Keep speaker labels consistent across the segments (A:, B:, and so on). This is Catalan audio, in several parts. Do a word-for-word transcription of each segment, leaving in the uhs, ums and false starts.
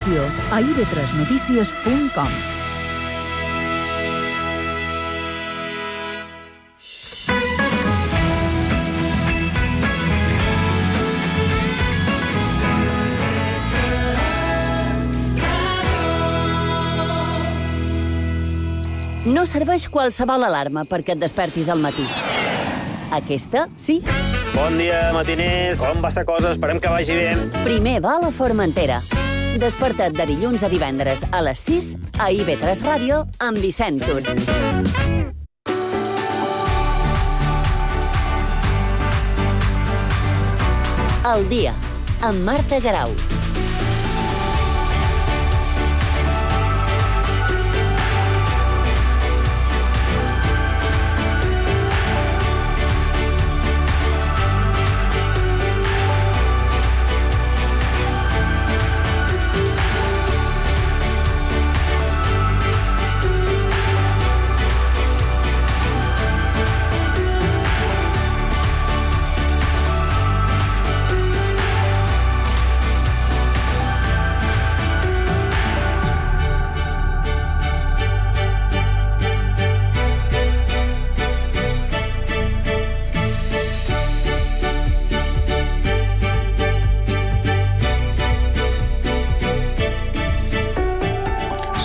A: informació a i be tres notícies punt com.
B: No serveix qualsevol alarma perquè et despertis al matí. Aquesta, sí.
C: Bon dia, matiners. Com va la cosa? Esperem que vagi bé.
B: Primer va a la Formentera. Desperta't de dilluns a divendres a les sis a i be tres Ràdio amb Vicent Tur. El dia, amb Marta Garau.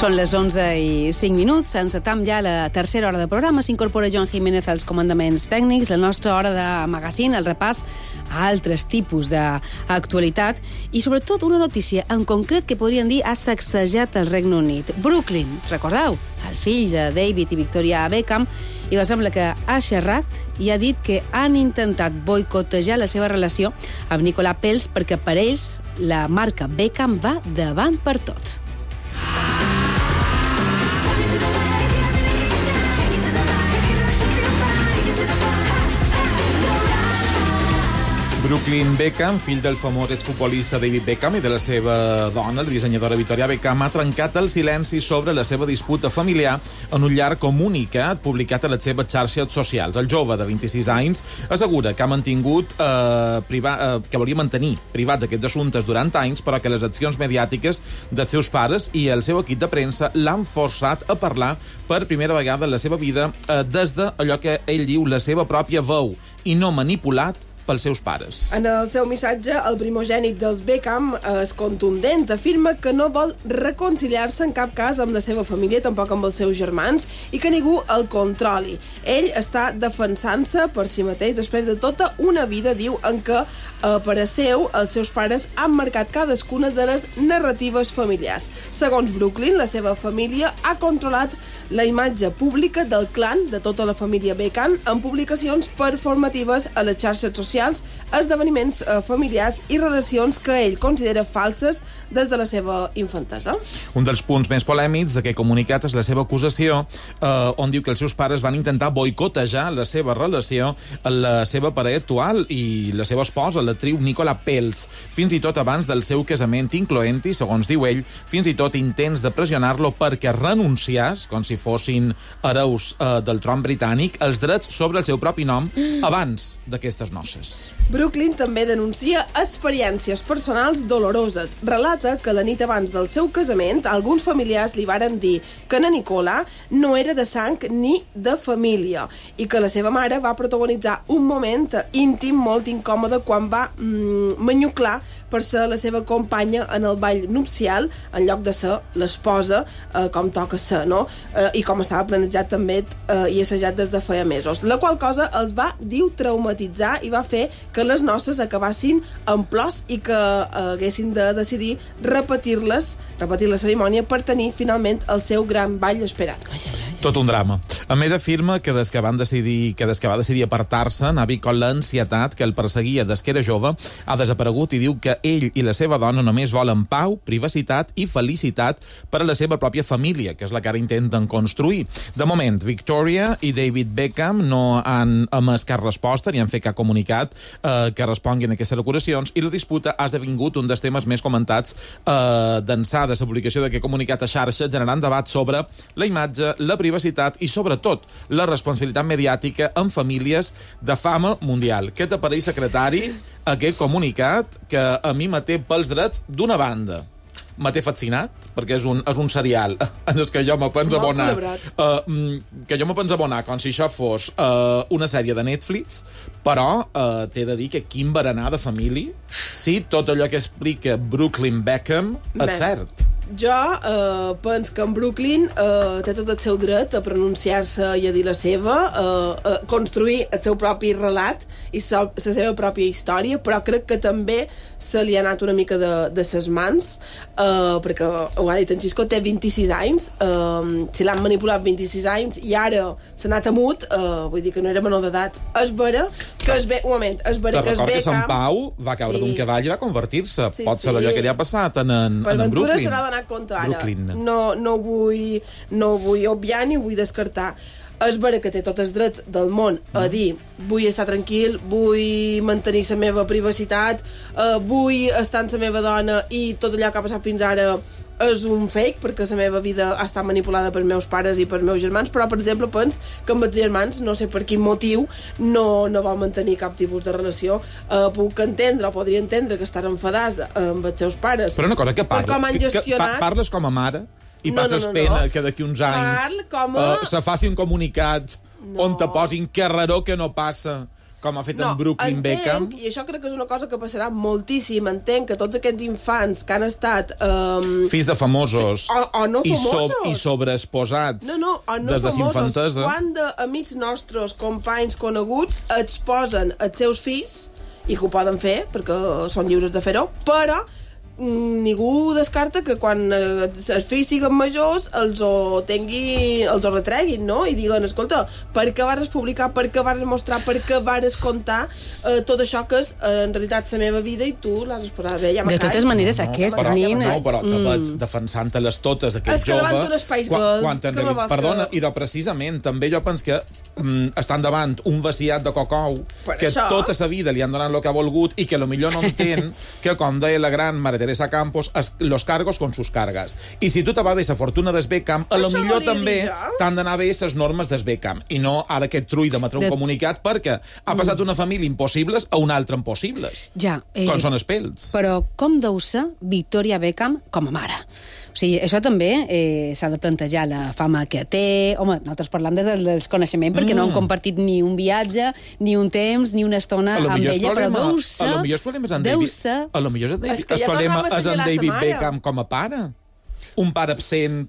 D: Són les onze i cinc minuts, encetam ja la tercera hora de programa. S'incorpora Joan Jiménez als comandaments tècnics. La nostra hora de magazine, el repàs a altres tipus d'actualitat i sobretot una notícia en concret que podríem dir ha sacsejat el Regne Unit. Brooklyn, recordeu? El fill de David i Victoria Beckham, i doncs sembla que ha xerrat i ha dit que han intentat boicotejar la seva relació amb Nicolas Peltz perquè per ells la marca Beckham va davant per tot.
E: Brooklyn Beckham, fill del famós exfutbolista David Beckham i de la seva dona, la dissenyadora Victoria Beckham, ha trencat el silenci sobre la seva disputa familiar en un llarg comunicat publicat a les seves xarxes socials. El jove de vint-i-sis anys assegura que ha mantingut eh, priva, eh, que volia mantenir privats aquests assumptes durant anys, però que les accions mediàtiques dels seus pares i el seu equip de premsa l'han forçat a parlar per primera vegada en la seva vida eh, des de allò que ell diu la seva pròpia veu i no manipulat pels seus pares.
F: En el seu missatge, el primogènit dels Beckham és contundent. Afirma que no vol reconciliar-se en cap cas amb la seva família, tampoc amb els seus germans, i que ningú el controli. Ell està defensant-se per si mateix després de tota una vida, diu, en què, eh, per a seu, els seus pares han marcat cadascuna de les narratives familiars. Segons Brooklyn, la seva família ha controlat la imatge pública del clan de tota la família Beckham en publicacions performatives a les xarxes socials, esdeveniments eh, familiars i relacions que ell considera falses des de la seva infantesa.
E: Un dels punts més polèmics d'aquest comunicat és la seva acusació, eh, on diu que els seus pares van intentar boicotejar la seva relació amb la seva parella actual i la seva esposa, l'actriu Nicola Peltz, fins i tot abans del seu casament, incloent-hi, segons diu ell, fins i tot intents de pressionar-lo perquè renunciés, com si fossin hereus eh, del tron britànic, els drets sobre el seu propi nom abans d'aquestes noces.
F: Brooklyn també denuncia experiències personals doloroses. Relata que la nit abans del seu casament alguns familiars li varen dir que na Nicola no era de sang ni de família i que la seva mare va protagonitzar un moment íntim molt incòmode quan va mm, manyuclar per ser la seva companya en el ball nupcial en lloc de ser l'esposa, eh, com toca ser, no? Eh, I com estava planejat també eh, i assajat des de feia mesos. La qual cosa els va, diu, traumatitzar i va fer que les noces acabassin en plors i que eh, haguessin de decidir repetir-les, repetir la cerimònia per tenir finalment el seu gran ball esperat. Ai, ai, ai.
E: Tot un drama. A més, afirma que des que, van decidir, que des que va decidir apartar-se, Navi con l'ansietat que el perseguia des que era jove ha desaparegut i diu que ell i la seva dona només volen pau, privacitat i felicitat per a la seva pròpia família, que és la que ara intenten construir. De moment, Victoria i David Beckham no han emès cap resposta ni han fet cap comunicat eh, que responguin a aquestes acusacions i la disputa ha esdevingut un dels temes més comentats eh, d'ençà de la publicació d'aquest comunicat a xarxa, generant debat sobre la imatge, la privacitat i, sobretot, la responsabilitat mediàtica en famílies de fama mundial. Què t'apareix, secretari, aquest comunicat que a mi me té pels drets d'una banda? me té fascinat, perquè és un, és un serial en el que jo me penso
F: Molt
E: abonar...
F: celebrat.
E: Uh, que jo me penso abonar com si això fos uh, una sèrie de Netflix, però uh, t'he de dir que quin berenar de família, sí, tot allò que explica Brooklyn Beckham és
F: Bé.
E: cert.
F: Jo eh, penso que en Brooklyn eh, té tot el seu dret a pronunciar-se i a dir la seva, eh, a construir el seu propi relat i la seva pròpia història, però crec que també se li ha anat una mica de, de ses mans, eh, perquè ho ha dit en Xisco, té vint-i-sis anys, eh, si l'han manipulat vint-i-sis anys i ara s'ha anat amut, eh, vull dir que no era menor d'edat. És vera que es ve... Un moment, és vera
E: Te
F: que es
E: record
F: ve...
E: que Sant Pau va caure
F: Sí.
E: d'un cavall i va convertir-se.
F: Sí,
E: Pot ser
F: sí.
E: allò que li ha passat en, en,
F: Per
E: en, en
F: Ventura
E: Brooklyn.
F: se n'ha donat compte ara.
E: Brooklyn.
F: No, no, vull, no vull obviar ni vull descartar. És vera que té tots els drets del món a dir vull estar tranquil, vull mantenir la meva privacitat, eh, vull estar amb la meva dona i tot allò que ha passat fins ara és un fake, perquè la meva vida ha estat manipulada per meus pares i per meus germans, però, per exemple, pens que amb els germans, no sé per quin motiu, no, no vol mantenir cap tipus de relació. Eh, puc entendre, o podria entendre, que estàs enfadats amb els seus pares.
E: Però una cosa, que
F: Per
E: parles,
F: com han
E: que, que
F: gestionat...
E: pa- parles com a mare i
F: No,
E: passes
F: no, no,
E: pena
F: no.
E: que d'aquí uns anys
F: Parl com a-
E: eh, se faci un comunicat
F: No.
E: on te posin que raror que no passa, com ha fet en Brooklyn Beckham.
F: I això crec que és una cosa que passarà moltíssim. Entenc que tots aquests infants que han estat... Um,
E: Fills de famosos,
F: O- o no
E: i,
F: famosos.
E: i sobreexposats
F: no, no, o no
E: des de
F: famosos.
E: infantesa.
F: Quan d'amics nostres, companys coneguts, exposen els seus fills, i que ho poden fer, perquè són lliures de fer-ho, però mm, ningú descarta que quan eh, els fills siguin majors els ho tinguin, els ho retreguin, no? I diguen, escolta, per què vas publicar, per què vas mostrar, per què vas contar eh, tot això que és eh, en realitat la meva vida i tu l'has exposat bé, ja me
D: De
F: callo.
D: totes maneres,
E: No,
D: aquest
E: però,
D: nen...
E: no, però te
D: Mm.
E: veig defensant-te-les totes, aquest
F: És que
E: jove.
F: davant d'un espai
E: quan,
F: gold,
E: quan també,
F: que me vols
E: perdona,
F: que-
E: i de precisament, també jo penso que mm, estan davant un vaciat de cocou
F: Per
E: que
F: això.
E: tota sa vida li han donat el que ha volgut i que a lo millor no entén que, com deia la gran Maria Teresa Campos, es, los cargos con sus cargas. I si tu te va bé la fortuna del Beckham, a lo
F: Això
E: millor
F: volia
E: també
F: dir jo.
E: t'han d'anar bé les normes del Beckham i no ara aquest trull d'emetre un
D: De-
E: comunicat perquè ha passat una família impossibles a una altra impossibles.
D: Ja, eh,
E: Com són els pels.
D: Però com deu ser Victoria Beckham com a mare? O sigui, això també eh, s'ha de plantejar la fama que té. Home, nosaltres parlam des del desconeixement perquè
E: Mm.
D: no hem compartit ni un viatge, ni un temps, ni una estona
E: A lo
D: amb
E: millor
D: ella,
E: el problema,
D: però deu
E: a
D: ser...
E: lo millor el problema és en
D: deu
E: David,
D: ser-
E: a lo millor és en David,
F: És que
E: el
F: ja
E: problema
F: tornava a
E: és en
F: assenyalar sa
E: David
F: mare.
E: Beckham com a pare. Un pare absent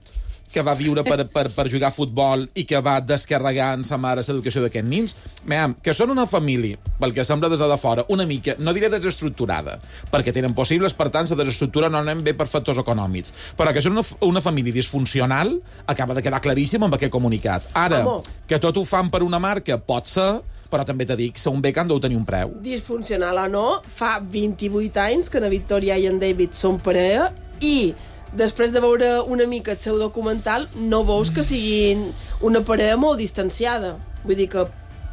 E: que va viure per, per, per jugar a futbol i que va descarregar en sa mare l'educació d'aquests nins. Mem, que són una família, pel que sembla des de fora, una mica, no diré desestructurada, perquè tenen possibles, per tant, la desestructura no anem bé per factors econòmics, però que són una, una família disfuncional, acaba de quedar claríssim amb aquest comunicat. Ara,
F: Home.
E: que tot ho fan per una marca, pot ser, però també t'he dit que un Beckham deu tenir un preu.
F: Disfuncional o no, fa vint-i-vuit anys que na Victoria i en David són parella i després de veure una mica el seu documental no veus que siguin una parella molt distanciada. Vull dir que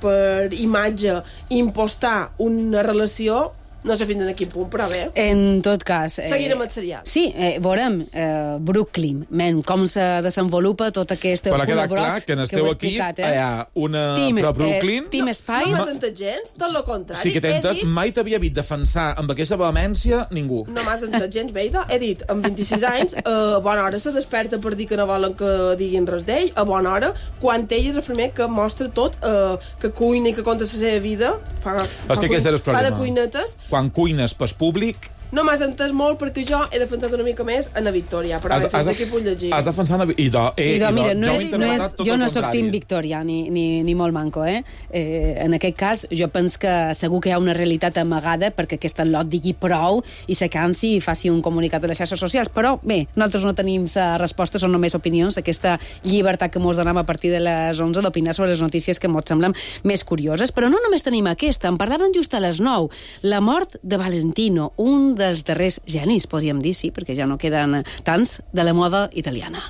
F: per imatge impostar una relació no sé fins a quin punt, però bé.
D: En tot cas... Eh,
F: Seguirem el serial.
D: Sí, eh, veurem eh, Brooklyn, men, com se desenvolupa tot aquest
E: Però queda
D: punt
E: clar que en el
D: ho
E: teu
D: he
E: equip
D: explicat,
E: hi ha una...
D: Team,
E: Però Brooklyn...
D: Eh, Team
F: No
D: Spice...
F: m'has entès gens, tot el contrari.
E: Sí que t'he
F: He
E: entès,
F: dit-
E: mai t'havia vist defensar amb aquesta vehemència ningú.
F: No m'has entès gens, Beida. He dit, amb vint-i-sis anys, eh, a bona hora se desperta per dir que no volen que diguin res d'ell, a bona hora, quan ell és el primer que mostra tot, eh, que cuina i que conta la seva vida, fa, fa,
E: que aquest és el
F: fa de
E: problema.
F: cuinetes.
E: Quan cuines pel públic,
F: No m'has entès molt perquè jo he defensat una mica més en la Victòria, però bé, fins aquí puc llegir.
E: has defensat... I do, eh,
D: I do, mira, no
E: jo,
D: és,
E: he
D: no
E: interpretat
D: és,
E: tot
D: jo
E: el
D: no sóc
E: contrari.
D: Team Victoria, ni, ni, ni molt manco, eh? eh? En aquest cas, jo penso que segur que hi ha una realitat amagada perquè aquest lot digui prou i se cansi i faci un comunicat a les xarxes socials. Però, bé, nosaltres no tenim la resposta, són només opinions, aquesta llibertat que mos donem a partir de les onze d'opinar sobre les notícies que mos semblen més curioses. Però no només tenim aquesta, en parlaven just a les nou. La mort de Valentino, un dels darrers genis, podríem dir, sí, perquè ja no queden tants, de la moda italiana.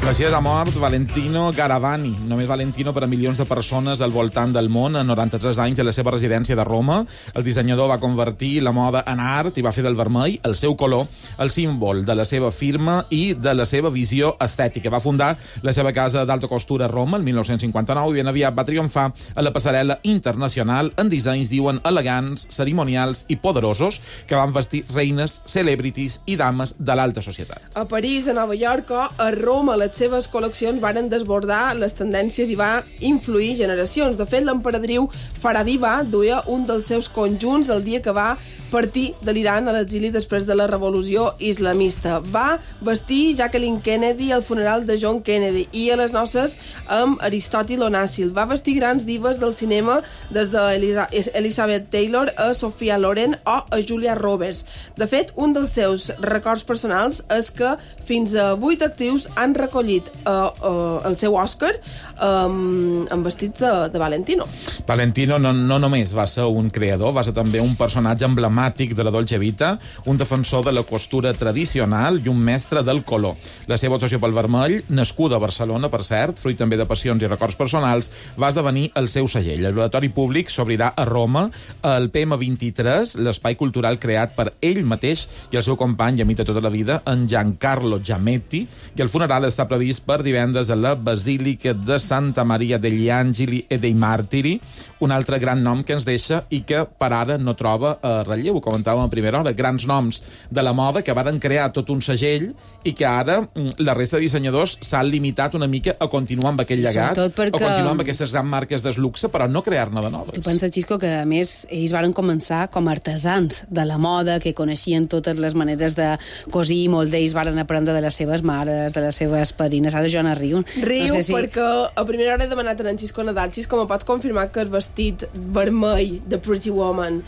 E: Així ha mort Valentino Garavani, només Valentino per a milions de persones al voltant del món, a noranta-tres anys, a la seva residència de Roma. El dissenyador va convertir la moda en art i va fer del vermell, el seu color, el símbol de la seva firma i de la seva visió estètica. Va fundar la seva casa d'alta costura a Roma el mil nou-cents cinquanta-nou i ben aviat va triomfar a la passarel·la internacional en dissenys, diuen, elegants, cerimonials i poderosos que van vestir reines, celebrities i dames de l'alta societat.
F: A París, a Nova York o a Roma, les seves col·leccions varen desbordar les tendències i va influir generacions. De fet, l'emperadriu Faradiva duia un dels seus conjunts el dia que va partir de l'Iran a l'exili després de la revolució islamista. Va vestir Jacqueline Kennedy al funeral de John Kennedy i a les noces amb Aristòtil Onàssil. Va vestir grans divas del cinema des d'Elizabeth Taylor a Sophia Loren o a Julia Roberts. De fet, un dels seus records personals és que fins a vuit actrius han recollit uh, uh, el seu Òscar um, amb vestits de, de Valentino.
E: Valentino no, no només va ser un creador, va ser també un personatge emblemàtic de la Dolce Vita, un defensor de la costura tradicional i un mestre del color. La seva obsessió pel vermell, nascuda a Barcelona, per cert, fruit també de passions i records personals, va esdevenir el seu segell. El laboratori públic s'obrirà a Roma el P M vint-i-tres, l'espai cultural creat per ell mateix i el seu company i amic de tota la vida, en Giancarlo Giametti, i el funeral està previst per divendres a la Basílica de Santa Maria degli Angeli e dei Martiri, un altre gran nom que ens deixa i que per ara no troba eh, relleu, ho comentàvem a primera hora, grans noms de la moda que varen crear tot un segell i que ara la resta de dissenyadors s'han limitat una mica a continuar amb aquell llegat, perquè... o continuar amb aquestes grans marques de luxe, però no crear-ne de noves.
D: Tu penses, Xisco, que a més ells varen començar com a artesans de la moda, que coneixien totes les maneres de cosir, molts d'ells varen aprendre de les seves mares, de les seves padrines. Ara Joana riu.
F: Riu
D: no sé si...
F: perquè a primera hora he demanat a en Xisco Nadal, Xisco, me pots confirmar que el vestit vermell de Pretty Woman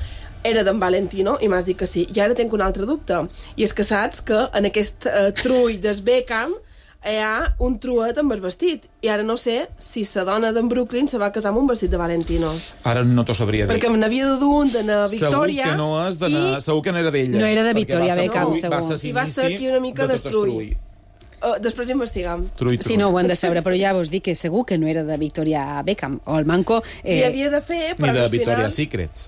F: era d'en Valentino? I m'has dit que sí. I ara tinc un altre dubte. I és que saps que en aquest uh, trull del Beckham hi ha un truet amb el vestit. I ara no sé si la dona d'en Brooklyn se va casar amb un vestit de Valentino.
E: Ara no t'ho sabria dir.
F: Perquè me n'havia de dur un de na Victòria.
E: Segur que no és de na...
F: I...
E: Segur que no era d'ella.
D: No era de Victoria Beckham,
E: segur. Va ser
F: I va ser aquí una mica destruït. Uh, després investigam.
E: Trull, trull.
D: Sí, no, ho hem de saber, però ja vos dic que segur que no era de Victoria Beckham. O el manco...
F: Eh... I havia de fer, però
E: ni de
F: al
E: Victoria
F: final...
E: Secrets.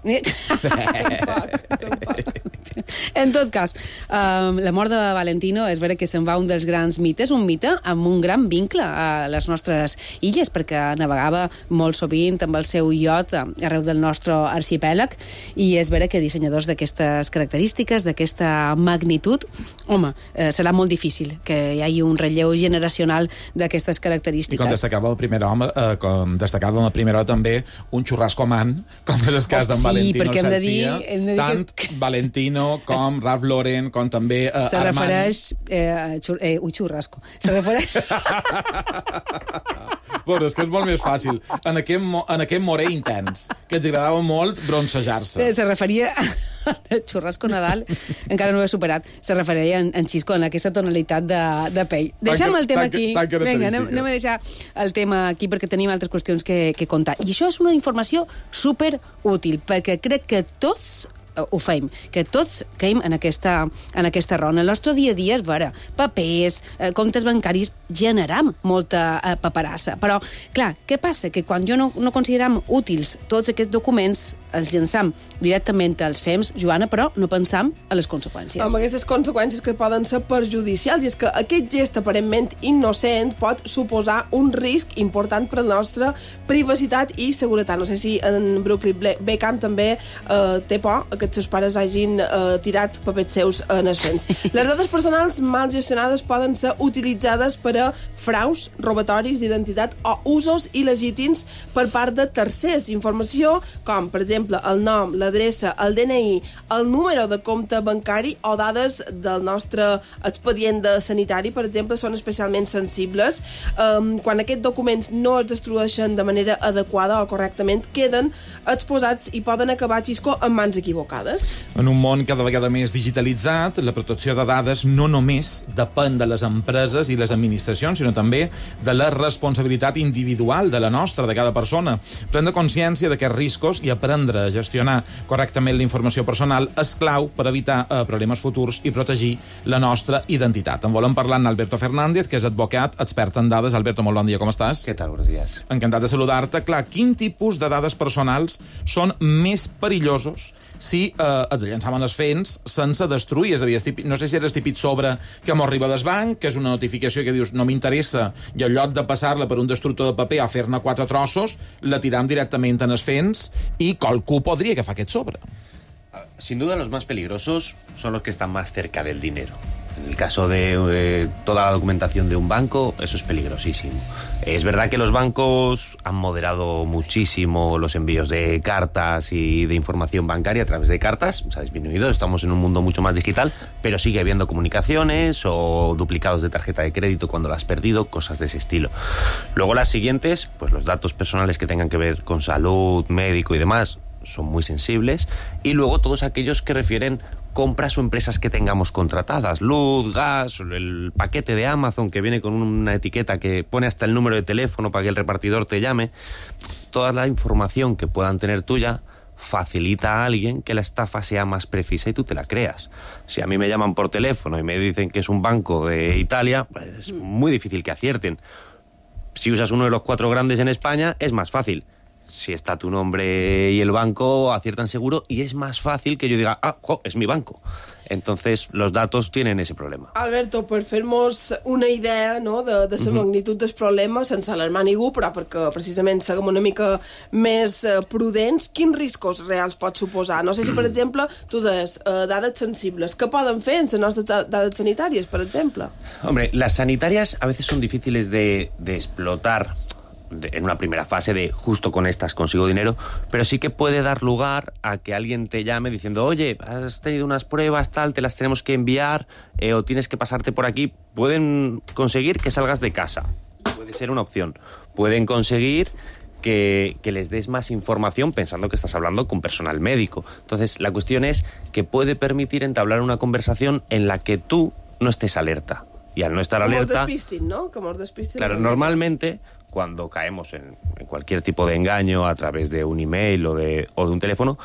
F: tampoc, tampoc.
D: En tot cas, um, la mort de Valentino és vera que se'n va un dels grans mites, un mite amb un gran vincle a les nostres illes, perquè navegava molt sovint amb el seu iot arreu del nostre arxipèlag, i és vera que dissenyadors d'aquestes característiques, d'aquesta magnitud, home, eh, serà molt difícil que hi hagi un relleu generacional d'aquestes característiques.
E: I com destacava el primer home, eh, com destacava en la primera hora també, un xurrasco man, com és el cas d'en
D: sí,
E: Valentino
D: perquè hem de dir,
E: Garcia,
D: hem de dir
E: tant
D: que...
E: Valentino com es... Ralph Lauren, com també eh,
D: se
E: Armand.
D: Refereix, eh, xur... eh, ui, xurrasco. Se refereix...
E: Bueno, és que és molt més fàcil. En aquest, mo en aquest morè intens, que ens agradava molt bronzejar-se.
D: Se referia al xurrasco Nadal, encara no ho he superat, se referia en, en Xisco, en aquesta tonalitat de, de pell. Deixem el tema aquí. Vinga, anem, anem a deixar el tema aquí perquè tenim altres qüestions que, que contar. I això és una informació super útil, perquè crec que tots ho feim, que tots caim en aquesta, en aquesta raó. En el nostre dia a dia és vera, papers, eh, comptes bancaris, generam molta eh, paperassa. Però, clar, què passa? Que quan jo no, no consideram útils tots aquests documents, els llançam directament als F E Ms, Joana, però no pensam a les conseqüències.
F: Amb aquestes conseqüències que poden ser perjudicials, i és que aquest gest aparentment innocent pot suposar un risc important per a la nostra privacitat i seguretat. No sé si en Brooklyn Beckham també eh, té por que els seus pares hagin eh, tirat papers seus en els F E Ms. Les dades personals mal gestionades poden ser utilitzades per a fraus, robatoris d'identitat o usos il·legítims per part de tercers. Informació com, per exemple, el nom, l'adreça, el D N I, el número de compte bancari o dades del nostre expedient de sanitari, per exemple, són especialment sensibles. Um, quan aquests documents no es destrueixen de manera adequada o correctament, queden exposats i poden acabar, Xisco, en mans equivocades. equivocades.
E: En un món cada vegada més digitalitzat, la protecció de dades no només depèn de les empreses i les administracions, sinó també de la responsabilitat individual de la nostra, de cada persona. Prendre consciència d'aquests riscos i aprendre a gestionar correctament la informació personal és clau per evitar eh, problemes futurs i protegir la nostra identitat. En volem parlar amb Alberto Fernández, que és advocat, expert en dades. Alberto, molt bon dia, com estàs?
G: ¿Qué tal? Buenos días.
E: Encantat de saludar-te. Clar, quin tipus de dades personals són més perillosos si eh, els llançaven els fents sense destruir? És a dir, típic, no sé si eres típic sobre que m'ho arriba del banc, que és una notificació que dius no m'interessa, i en lloc de passar-la per un destructor de paper o fer-ne quatre trossos, la tiram directament en els fents i qualcú podria agafar aquest sobre.
G: Sin duda los más peligrosos son los que están más cerca del dinero. En el caso de eh, toda la documentación de un banco, eso es peligrosísimo. Es verdad que los bancos han moderado muchísimo los envíos de cartas y de información bancaria a través de cartas. Se ha disminuido, estamos en un mundo mucho más digital, pero sigue habiendo comunicaciones o duplicados de tarjeta de crédito cuando la has perdido, cosas de ese estilo. Luego las siguientes, pues los datos personales que tengan que ver con salud, médico y demás, son muy sensibles. Y luego todos aquellos que refieren compras o empresas que tengamos contratadas, luz, gas, el paquete de Amazon que viene con una etiqueta que pone hasta el número de teléfono para que el repartidor te llame. Toda la información que puedan tener tuya facilita a alguien que la estafa sea más precisa y tú te la creas. Si a mí me llaman por teléfono y me dicen que es un banco de Italia, pues es muy difícil que acierten. Si usas uno de los cuatro grandes en España, es más fácil. Si está tu nombre y el banco, aciertan seguro y es más fácil que yo diga, ah, jo, és mi banco. Entonces, los datos tienen ese problema.
F: Alberto, per fer-nos una idea, no, de, de la uh-huh. magnitud del problema, sense alarmar ningú, però perquè precisament siguem una mica més uh, prudents, quins riscos reals pot suposar? No sé si, per exemple, tu des uh, dades sensibles, què poden fer en les nostres dades sanitàries, per exemple?
G: Hombre, las sanitarias a veces son difíciles de, de explotar en una primera fase de justo con estas consigo dinero, pero sí que puede dar lugar a que alguien te llame diciendo, oye, has tenido unas pruebas, tal, te las tenemos que enviar eh, o tienes que pasarte por aquí. Pueden conseguir que salgas de casa, puede ser una opción. Pueden conseguir que, que les des más información pensando que estás hablando con personal médico. Entonces, la cuestión es que puede permitir entablar una conversación en la que tú no estés alerta. Y al no estar
F: Como
G: alerta...
F: Como despistin, ¿no? Como despistin.
G: Claro, normalmente cuando caemos en, en cualquier tipo de engaño a través de un email o de, o de un teléfono,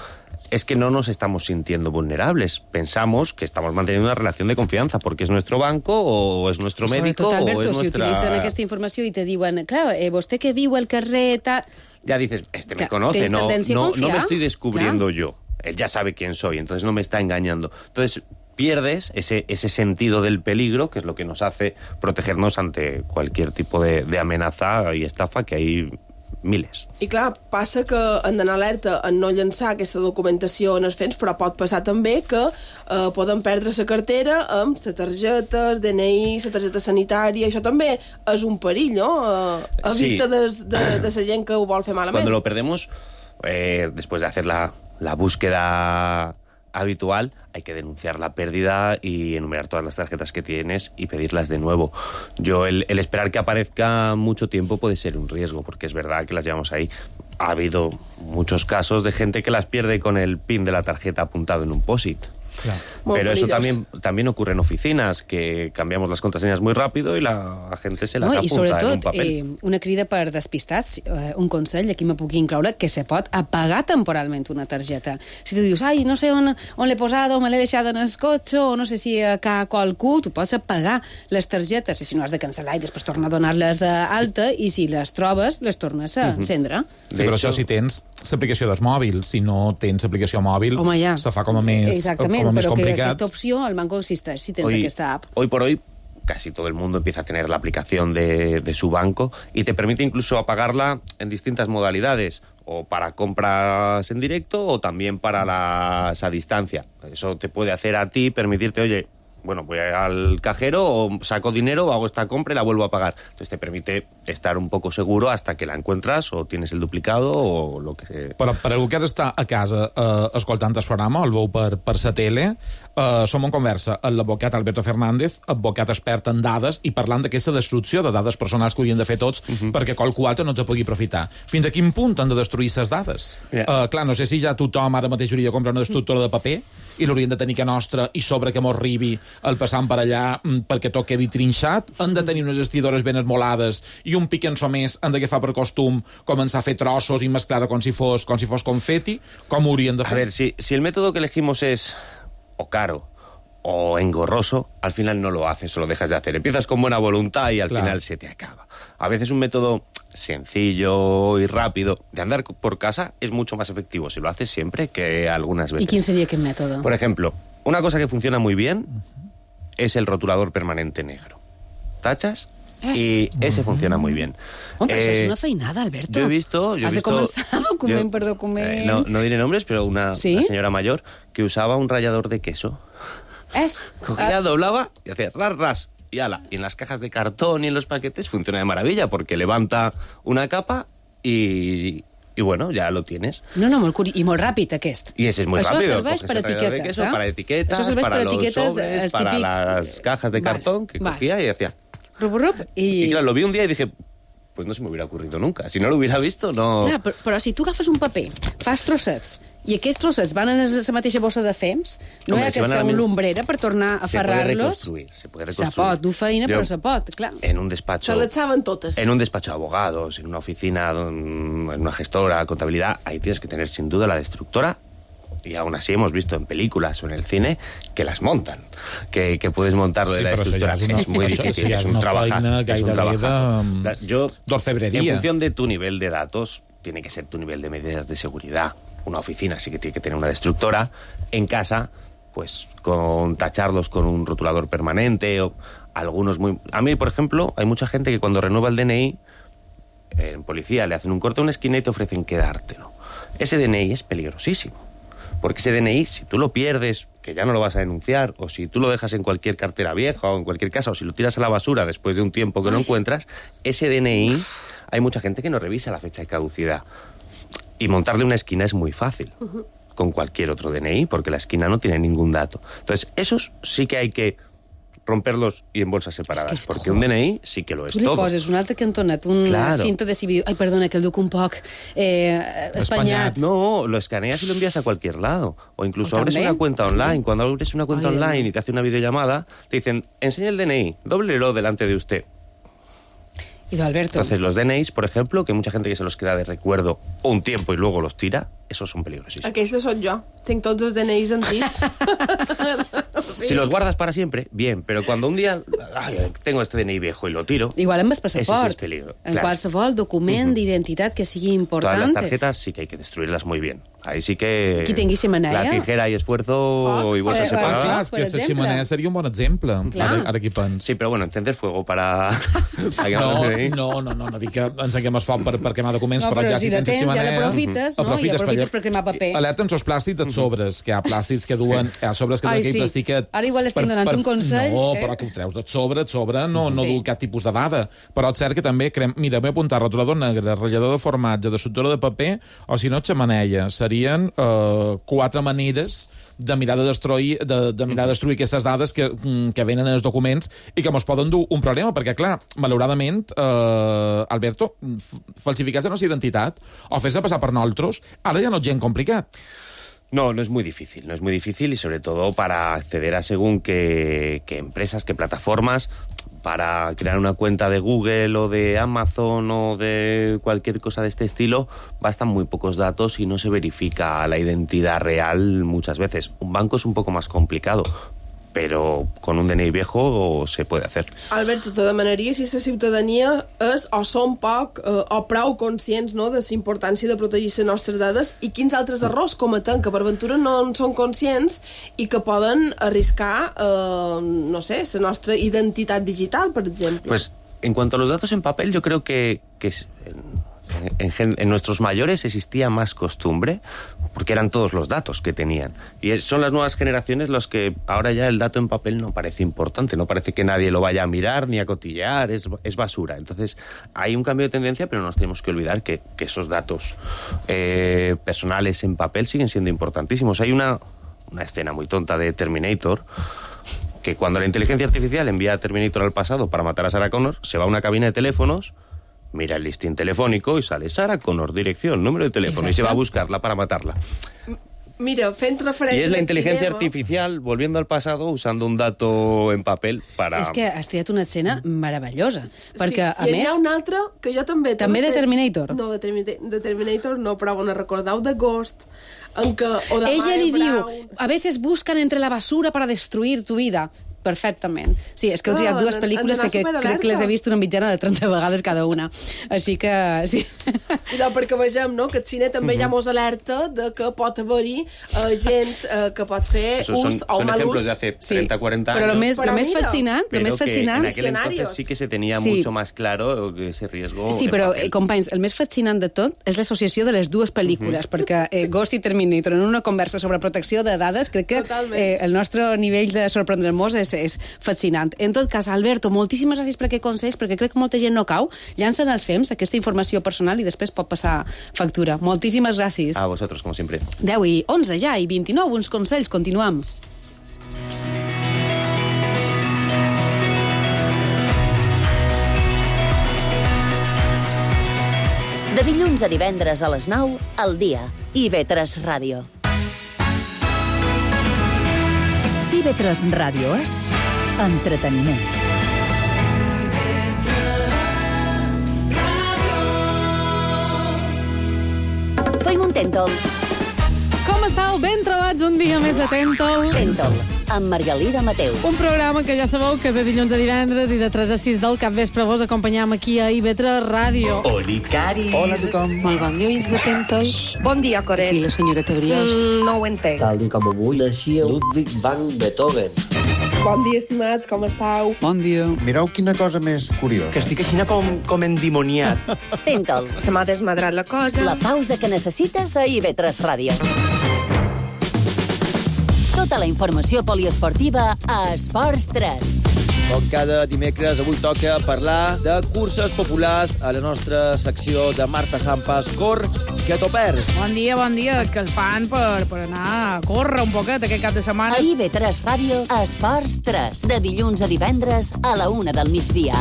G: es que no nos estamos sintiendo vulnerables. Pensamos que estamos manteniendo una relación de confianza porque es nuestro banco o es nuestro médico
D: Sobretot, Alberto,
G: o es
D: si
G: nuestra...
D: utilitzen aquesta informació i te diuen, clar, eh, vostè que viu al carrer... Ta...
G: Ya dices, este me
D: Clar,
G: conoce,
D: tens
G: no,
D: tendència a
G: no, no
D: confiar.
G: me estoy descubriendo
D: Clar.
G: yo. Él ya sabe quién soy, entonces no me está engañando. Entonces pierdes ese, ese sentido del peligro, que es lo que nos hace protegernos ante cualquier tipo de, de amenaza y estafa, que hay miles.
F: I clar, passa que hem d'anar alerta en no llançar aquesta documentació en els fents, però pot passar també que eh, poden perdre la cartera amb la targeta, el D N I, la targeta sanitària. Això també és un perill, no? Eh, a
G: Sí.
F: vista des, de, de la gent que ho vol fer malament.
G: Cuando lo perdemos, eh, después de hacer la, la búsqueda habitual, hay que denunciar la pérdida y enumerar todas las tarjetas que tienes y pedirlas de nuevo. Yo, el, el esperar que aparezca mucho tiempo puede ser un riesgo, porque es verdad que las llevamos ahí. Ha habido muchos casos de gente que las pierde con el pin de la tarjeta apuntado en un POSIT.
E: Claro.
G: Pero eso también, también ocurre en oficinas, que cambiamos las contraseñas muy rápido y la gente se las
D: no,
G: apunta
D: i sobretot,
G: en un papel.
D: Eh, una crida per despistats, eh, un consell, aquí me puc incloure, que se pot apagar temporalment una targeta. Si tu dius, ai, no sé on, on l'he posada, o me l'he deixada en el cotxe, o no sé si a ca qualcú, tu pots apagar les targetes, i si no has de cancel·lar i després tornar a donar-les d'alta, sí. I si les trobes, les tornes a encendre.
E: Uh-huh. Sí, però això si tens l'aplicació del mòbil. Si no tens aplicació mòbil,
D: Home, ja.
E: se fa com a més,
D: Exactament,
E: com a més
D: però
E: complicat.
D: que aquesta opció al banco existeix si tens
G: hoy,
D: aquesta app.
G: Hoy por hoy casi todo el mundo empieza a tener la aplicación de, de su banco y te permite incluso apagarla en distintas modalidades, o para compras en directo o también para las a distancia. Eso te puede hacer a ti permitirte, oye, bueno, voy al cajero o saco dinero, hago esta compra y la vuelvo a pagar. Entonces te permite estar un poco seguro hasta que la encuentras o tienes el duplicado o lo que sea.
E: Però per algú que ara està a casa eh, escoltant el programa, el veu per, per la tele, eh, som en conversa amb l'advocat Alberto Fernández, advocat expert en dades, i parlant d'aquesta destrucció de dades personals que haurien de fer tots uh-huh. perquè qualcú altre no te pugui aprofitar. Fins a quin punt han de destruir les dades? Yeah. Eh, clar, no sé si ja tothom ara mateix hauria de comprar una destructora de paper i l'haurien de tenir que nostra i sobre que mos arribi el passant per allà perquè tot quedi trinxat. Han de tenir unes estidores ben esmolades i un piquençó més han d'agafar per costum començar a fer trossos i mesclar-ho com si fos, com si fos confeti. Com ho haurien de fer?
G: A ver, si, si el método que elegimos es o caro o engorroso, al final no lo haces o lo dejas de hacer. Empiezas con buena voluntad y al claro. final se te acaba. A veces un método sencillo y rápido de andar por casa es mucho más efectivo si lo haces siempre que algunas veces.
D: ¿Y quién sería qué método?
G: Por ejemplo, una cosa que funciona muy bien uh-huh. es el rotulador permanente negro. Tachas es. y ese uh-huh. funciona muy bien.
D: Hombre, eh, eso es una feinada, Alberto.
G: Yo he visto... Yo
D: Has
G: he visto,
D: de comenzar document
G: yo,
D: per document.
G: Eh, no, no diré nombres, pero una,
D: ¿Sí?
G: una señora mayor que usaba un rallador de queso.
D: Es.
G: Cogía,
D: uh,
G: doblaba y hacía ras, ras. Y ala, y en las cajas de cartón y en los paquetes funciona de maravilla porque levanta una capa y, y bueno, ya lo tienes.
D: No, no, molt curi... i molt ràpid aquest.
G: Y ese es muy
D: Això
G: rápido.
D: serveix per etiquetes,
G: queso,
D: eh?
G: Para etiquetas,
D: Això
G: para
D: per
G: los
D: etiquetes,
G: sobres, para
D: típic...
G: las cajas de
D: vale,
G: cartón que
D: vale.
G: cogía y decía...
D: Rup, rup, i...
G: Y claro, lo vi un día y dije... Pues no se me hubiera ocurrido nunca. Si no lo hubiera visto, no...
D: Clar, però, però si tu agafes un paper, fas trossets, i aquests trossets van en la mateixa bossa de fems, no
G: Hombre,
D: hi ha
G: si
D: que
G: van a
D: ser
G: la
D: un
G: misma-
D: lumbrera per tornar a
G: Se puede
D: ferrar-los.
G: reconstruir, se puede
D: Se
G: reconstruir.
D: pot, dur feina,
G: Yo,
D: però se pot, clar.
G: En un despacho...
F: Se les saben totes.
G: En un despacho de abogados, en una oficina, en una gestora, contabilidad, ahí tienes que tener sin duda la destructora. Y aún así hemos visto en películas o en el cine que las montan, que, que puedes montarlo
E: Sí,
G: de la
E: però això
G: estructura.
E: ja és una-
G: es muy
E: això
G: difícil,
E: ja és
G: es un
E: una
G: trabajar.
E: feina
G: Es un
E: gairebé
G: trabajar.
E: de-
G: Yo,
E: d'orfebrería.
G: en función de tu nivel de datos, tiene que ser tu nivel de medidas de seguridad. Una oficina sí que tiene que tener una destructora. En casa, pues con tacharlos con un rotulador permanente o algunos muy... A mí, por ejemplo, hay mucha gente que cuando renueva el D N I, en policía le hacen un corte a una esquina y te ofrecen quedártelo. Ese D N I es peligrosísimo. Porque ese D N I, si tú lo pierdes, que ya no lo vas a denunciar, o si tú lo dejas en cualquier cartera vieja o en cualquier casa, o si lo tiras a la basura después de un tiempo que no encuentras, ese D N I, hay mucha gente que no revisa la fecha de caducidad. Y montarle una esquina es muy fácil, con cualquier otro D N I, porque la esquina no tiene ningún dato. Entonces, esos sí que hay que romperlos y en bolsas separadas,
D: Es que,
G: porque
D: jo,
G: un D N I sí que lo es
D: Tu li
G: todo.
D: poses un altre cantonet, una
G: Claro.
D: cinta de civil... Ai, perdona, que el duc un poc eh, espanyat.
G: No, lo escaneas y lo envías a cualquier lado. O incluso
D: ¿O
G: abres
D: también?
G: una cuenta online. Cuando abres una cuenta
D: Ay,
G: online
D: no.
G: y te hace una videollamada, te dicen, enseña el D N I, dóblelo delante de usted.
D: I d'Alberto.
G: Entonces los D N Is, por ejemplo, que hay mucha gente que se los queda de recuerdo un tiempo y luego los tira, esos son peligrosísimos.
F: Aquesta sóc jo. Tinc tots els D N Is antics.
G: Si los guardas para siempre, bien, pero cuando un día ay, tengo este D N I viejo y lo tiro,
D: Igual amb el
G: ese sí
D: passaport.
G: es peligro.
D: En
G: Claro.
D: qualsevol document d'identitat que sigui important.
G: Todas las tarjetas sí que hay que destruirlas muy bien. Ahí sí que...
D: Qui tingui xemeneia.
G: La tijera y esfuerzo
F: Foc.
G: y bolsa
D: Eh, eh,
E: Ah,
G: separada.
E: clar, és
D: per
E: que la
D: exemple.
E: xemeneia seria un bon exemple.
D: Clar.
E: Ara, ara que hi pens.
G: Sí, pero bueno, encender fuego para...
E: No, no, no, no, no dic que encenguem el foc per, per cremar documents,
D: No,
E: però,
D: però
E: ja
D: si
E: si
D: de
E: tens
D: temps ja
E: xemeneia...
D: l'aprofites, no? I aprofites per cremar paper.
E: Alerta amb els plàstics dels sobres, que hi ha plàstics que duen... Hi ha sobres que
D: Ai,
E: duen aquell
D: sí.
E: plastiquet...
D: Ara igual estic donant un consell,
E: No,
D: eh?
E: però que ho treus de sobre, de sobre, no, no
D: Sí.
E: du cap tipus de dada. Però és cert que també... Crem... Mira, m'he apuntat rotulador negre, ratllador de formatge, destructora de paper, o si no, xemeneia. Serien eh, quatre maneres de mirar de destruir, de, de mirar de destruir aquestes dades que, que venen en els documents i que mos poden dur un problema, perquè, clar, malauradament, eh, Alberto, falsificar la nostra identitat o fer-se passar per nosaltres, ara ja no és gent complicat.
G: No, no es muy difícil, no es muy difícil y sobre todo para acceder a según qué, qué empresas, qué plataformas, para crear una cuenta de Google o de Amazon o de cualquier cosa de este estilo, bastan muy pocos datos y no se verifica la identidad real muchas veces. Un banco es un poco más complicado, però con un D N I viejo se puede hacer.
F: Alberto, te demanaria si la ciutadania és o són poc eh, o prou conscients, no, de la importància de protegir les nostres dades i quins altres errors cometen que per ventura no en són conscients i que poden arriscar, eh, no sé, la nostra identitat digital, per exemple.
G: Pues en cuanto a los datos en papel, yo creo que, que En, en, en nuestros mayores existía más costumbre porque eran todos los datos que tenían. Y es, son las nuevas generaciones los que ahora ya el dato en papel no parece importante, no parece que nadie lo vaya a mirar ni a cotillear, es, es basura. Entonces hay un cambio de tendencia, pero no nos tenemos que olvidar que, que esos datos eh, personales en papel siguen siendo importantísimos. Hay una, una escena muy tonta de Terminator, que cuando la inteligencia artificial envía a Terminator al pasado para matar a Sarah Connor, se va a una cabina de teléfonos, mira el listín telefónico y sale Sarah Connor, dirección, número de teléfono. Exacto. Y se va a buscarla para matarla.
F: Mira, fent referència...
G: Y es la inteligencia artificial volviendo al pasado usando un dato en papel para...
D: És que has triat una escena meravellosa. Perquè,
F: sí,
D: a més...
F: hi ha una altra que jo també...
D: També de Terminator?
F: No, de, Termi- de Terminator no, però on recordeu de Ghost, en què... O de
D: Ella li
F: Brown.
D: diu, a veces buscan entre la basura para destruir tu vida. Perfectament. Sí, és que heu triat dues pel·lícules que, que crec que les he vist una mitjana de trenta vegades cada una. Així que, sí.
F: No, perquè vegem, no?, que el cine també uh-huh. ja mos alerta de que pot haver-hi uh, gent uh, que pot fer
G: Eso
F: ús
G: son,
F: o mal ús.
G: Son ejemplos de hace treinta, cuarenta años.
D: Però lo més,
F: però
D: lo més
F: mira,
D: fascinant, lo més fascinant...
G: en aquel entonces sí que se tenía
D: sí.
G: mucho más claro ese riesgo.
D: Sí, però, eh, companys, el més fascinant de tot és l'associació de les dues pel·lícules, uh-huh. perquè eh, Ghost i Terminator, en una conversa sobre protecció de dades, crec que eh, el nostre nivell de sorprendre-nos és, és fascinant. En tot cas, Alberto, moltíssimes gràcies per aquest consell, perquè crec que molta gent no cau, llancen als fems aquesta informació personal i després pot passar factura. Moltíssimes gràcies.
G: A vosotros, como siempre.
D: deu i onze ja, i vint-i-nou, uns consells. Continuem.
B: De dilluns a divendres a les nou, al dia. I ve tres Ràdio.
A: I ve tres Ràdio és entreteniment.
B: Feim un Tèntol.
H: Com estàu? Ben trobats un dia més de Tèntol.
B: Tèntol, amb Margalida Mateu.
H: Un programa que ja sabeu que de dilluns a divendres i de tres a sis del capvespre vos acompanyam aquí a I V tres Ràdio.
I: Oli, Cari.
J: Hola a tothom.
K: Molt bon dia, oients de Tèntol.
L: Bon dia, Coret.
K: Aquí la senyora Tebriós.
L: Mm, no ho entenc.
I: Tal dia com avui naixia Ludwig van Beethoven.
F: Bon dia, estimats, com estàu?
J: Bon dia. Mireu quina cosa més curiosa.
I: Que estic així com, com endimoniat.
B: Tèntol,
L: Se m'ha desmadrat la cosa.
B: la pausa que necessites a I V tres Ràdio. Tota la informació poliesportiva a Esports tres.
M: Com cada dimecres, avui toca parlar de curses populars a la nostra secció de Marta Sampas, Cor, que t'ho perds.
H: Bon dia, bon dia. És que el fan per, per anar a córrer un poquet aquest cap de setmana.
B: A I V tres Ràdio, a Esports tres. De dilluns a divendres a la una del migdia.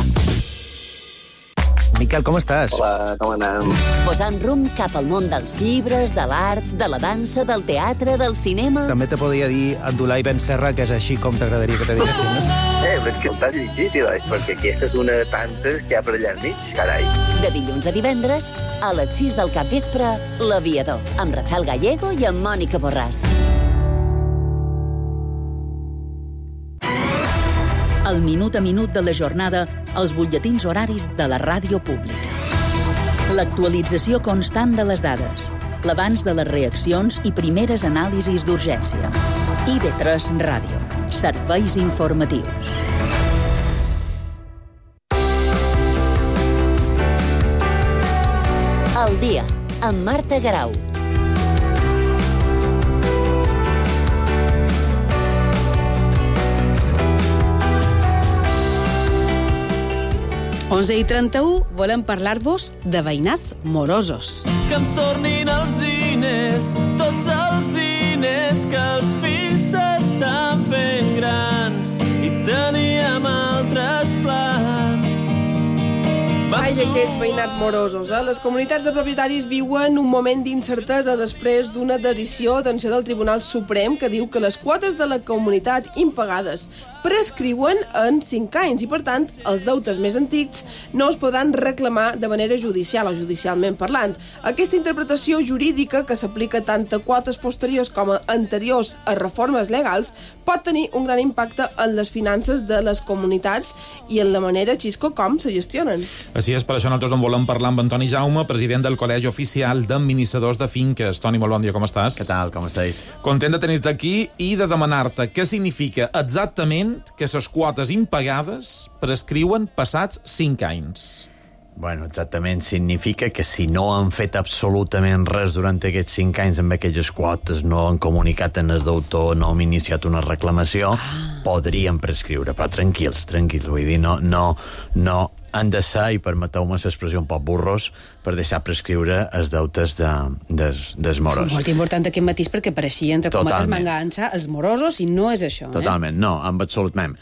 M: Miquel, com estàs?
I: Hola, com anem?
B: Posant rumb cap al món dels llibres, de l'art, de la dansa, del teatre, del cinema...
M: També te podria dir Abdulai Ben Serra, que és així com t'agradaria que te diguessin, no?
I: Eh, però és que el t'has llegit, Ilai, perquè aquesta és una de tantes que hi ha per allà enmig, carai.
B: De dilluns a divendres, a les sis del capvespre, L'Aviador, amb Rafael Gallego i amb Mònica Borràs.
A: El minut a minut de la jornada als butlletins horaris de la ràdio pública. L'actualització constant de les dades, l'abans de les reaccions i primeres anàlisis d'urgència. I V tres Ràdio. Serveis informatius.
B: El dia, amb Marta Garau.
D: onze i trenta-u, volem parlar-vos de veïnats morosos.
N: Que ens tornin els diners, tots els diners que els fills s'estan fent grans i teníem altres plans.
F: Ai, aquests veïnats morosos, eh? Les comunitats de propietaris viuen un moment d'incertesa després d'una decisió, atenció, del Tribunal Suprem que diu que les quotes de la comunitat impagades prescriuen en cinc anys i, per tant, els deutes més antics no es podran reclamar de manera judicial o judicialment parlant. Aquesta interpretació jurídica, que s'aplica tant a quotes posteriors com a anteriors a reformes legals, pot tenir un gran impacte en les finances de les comunitats i en la manera, Xisco, com se gestionen.
E: Així és, per això nosaltres en volem parlar amb Antoni Jaume, president del Col·legi Oficial d'Administradors de Finques. Toni, molt bon dia, com estàs?
O: Què tal, com estàs?
E: Content de tenir-te aquí i de demanar-te què significa exactament que les quotes impagades prescriuen passats cinc anys.
O: Bueno, exactament. Significa que si no han fet absolutament res durant aquests cinc anys amb aquelles quotes, no han comunicat en el deutor, no han iniciat una reclamació, ah. podrien prescriure. Però tranquils, tranquils. Vull dir, no, no, no han de ser, i permeteu-me l'expressió un poc burros, per deixar prescriure els deutes de, des, des moros.
D: Molt important aquest matís, perquè pareixia, entre cometes, m'enganxa els morosos, i no és això.
O: Totalment, eh? No, en absolut mem.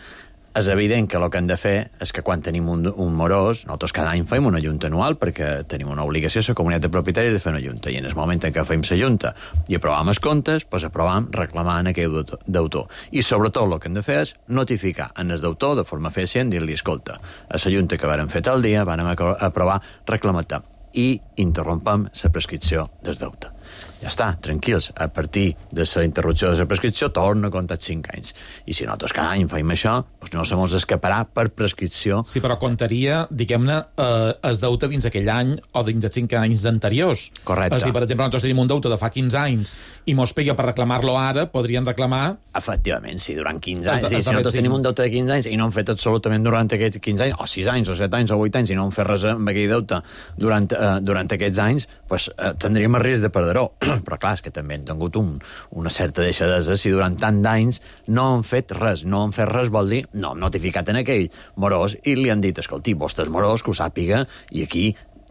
O: És evident que el que hem de fer és que quan tenim un, un morós, nosaltres cada any fem una junta anual perquè tenim una obligació a la comunitat de propietaris de fer una junta, i en el moment en què fem la junta i aprovam els comptes, doncs aprovam reclamant aquell deutor. I sobretot el que hem de fer és notificar en el deutor de forma eficient, dir-li, escolta, a la junta que vàrem fer tal dia, vàrem aprovar reclamar-te, i interrompem la prescripció del deute. Ja està, tranquils. A partir de la interrupció de la prescripció torna a comptar cinc anys. I si nosaltres cada any fem això, doncs no se mos escaparà per prescripció.
E: Sí, però comptaria, diguem-ne, eh, el deute dins aquell any o dins els cinc anys anteriors.
O: Correcte.
E: Si, per exemple, nosaltres tenim un deute de fa quinze anys i mos pega per reclamar-lo ara, podrien reclamar...
O: Efectivament, si durant quinze anys, si nosaltres tenim un deute de quinze anys i no hem fet absolutament durant aquests quinze anys, o sis anys, o set anys, o vuit anys, i no hem fet res amb aquell deute durant, eh, durant aquests anys, doncs eh, tindríem el risc de perdre-ho. Però clar, és que també han tingut un, una certa deixadesa si durant tant d'anys no han fet res. No han fet res vol dir, no hem notificat en aquell morós i li han dit, escolti, vostre és morós, que ho sàpiga, i aquí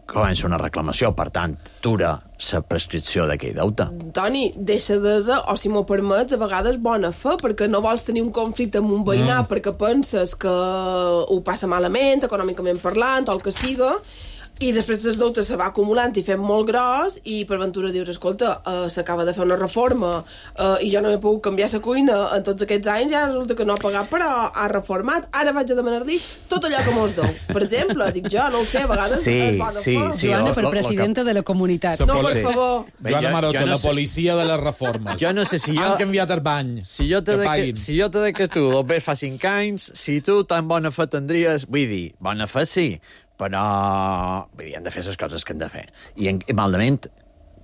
O: comença una reclamació. Per tant, dura la prescripció d'aquell deute.
F: Toni, deixadesa, o si m'ho permets, a vegades bona fe, perquè no vols tenir un conflicte amb un veïnat mm. perquè penses que ho passa malament, econòmicament parlant, o el que siga, i després els deutes se va acumulant i fem molt gros, i per ventura dius, escolta, uh, s'acaba de fer una reforma uh, i jo no he pogut canviar la cuina en tots aquests anys, i ara resulta que no ha pagat però ha reformat, ara vaig a demanar-li tot allò que mos deu. Per exemple, dic jo, no ho sé, a vegades
O: sí,
F: és bona
O: sí,
F: fe.
O: sí,
D: Joana,
O: lo,
D: per
O: lo,
D: presidenta
O: lo que...
D: de la comunitat.
F: No, per favor.
E: Joana Maroto,
O: jo no
E: la
O: sé...
E: policia de les reformes.
O: Jo no sé si jo...
E: Han canviat el bany.
O: Si jo te de que, si jo te de que tu el ves fa cinc anys, si tu tan bona fe tindries... Vull dir, bona fe sí, però vull dir, hem de fer les coses que hem de fer. I, en, i malament,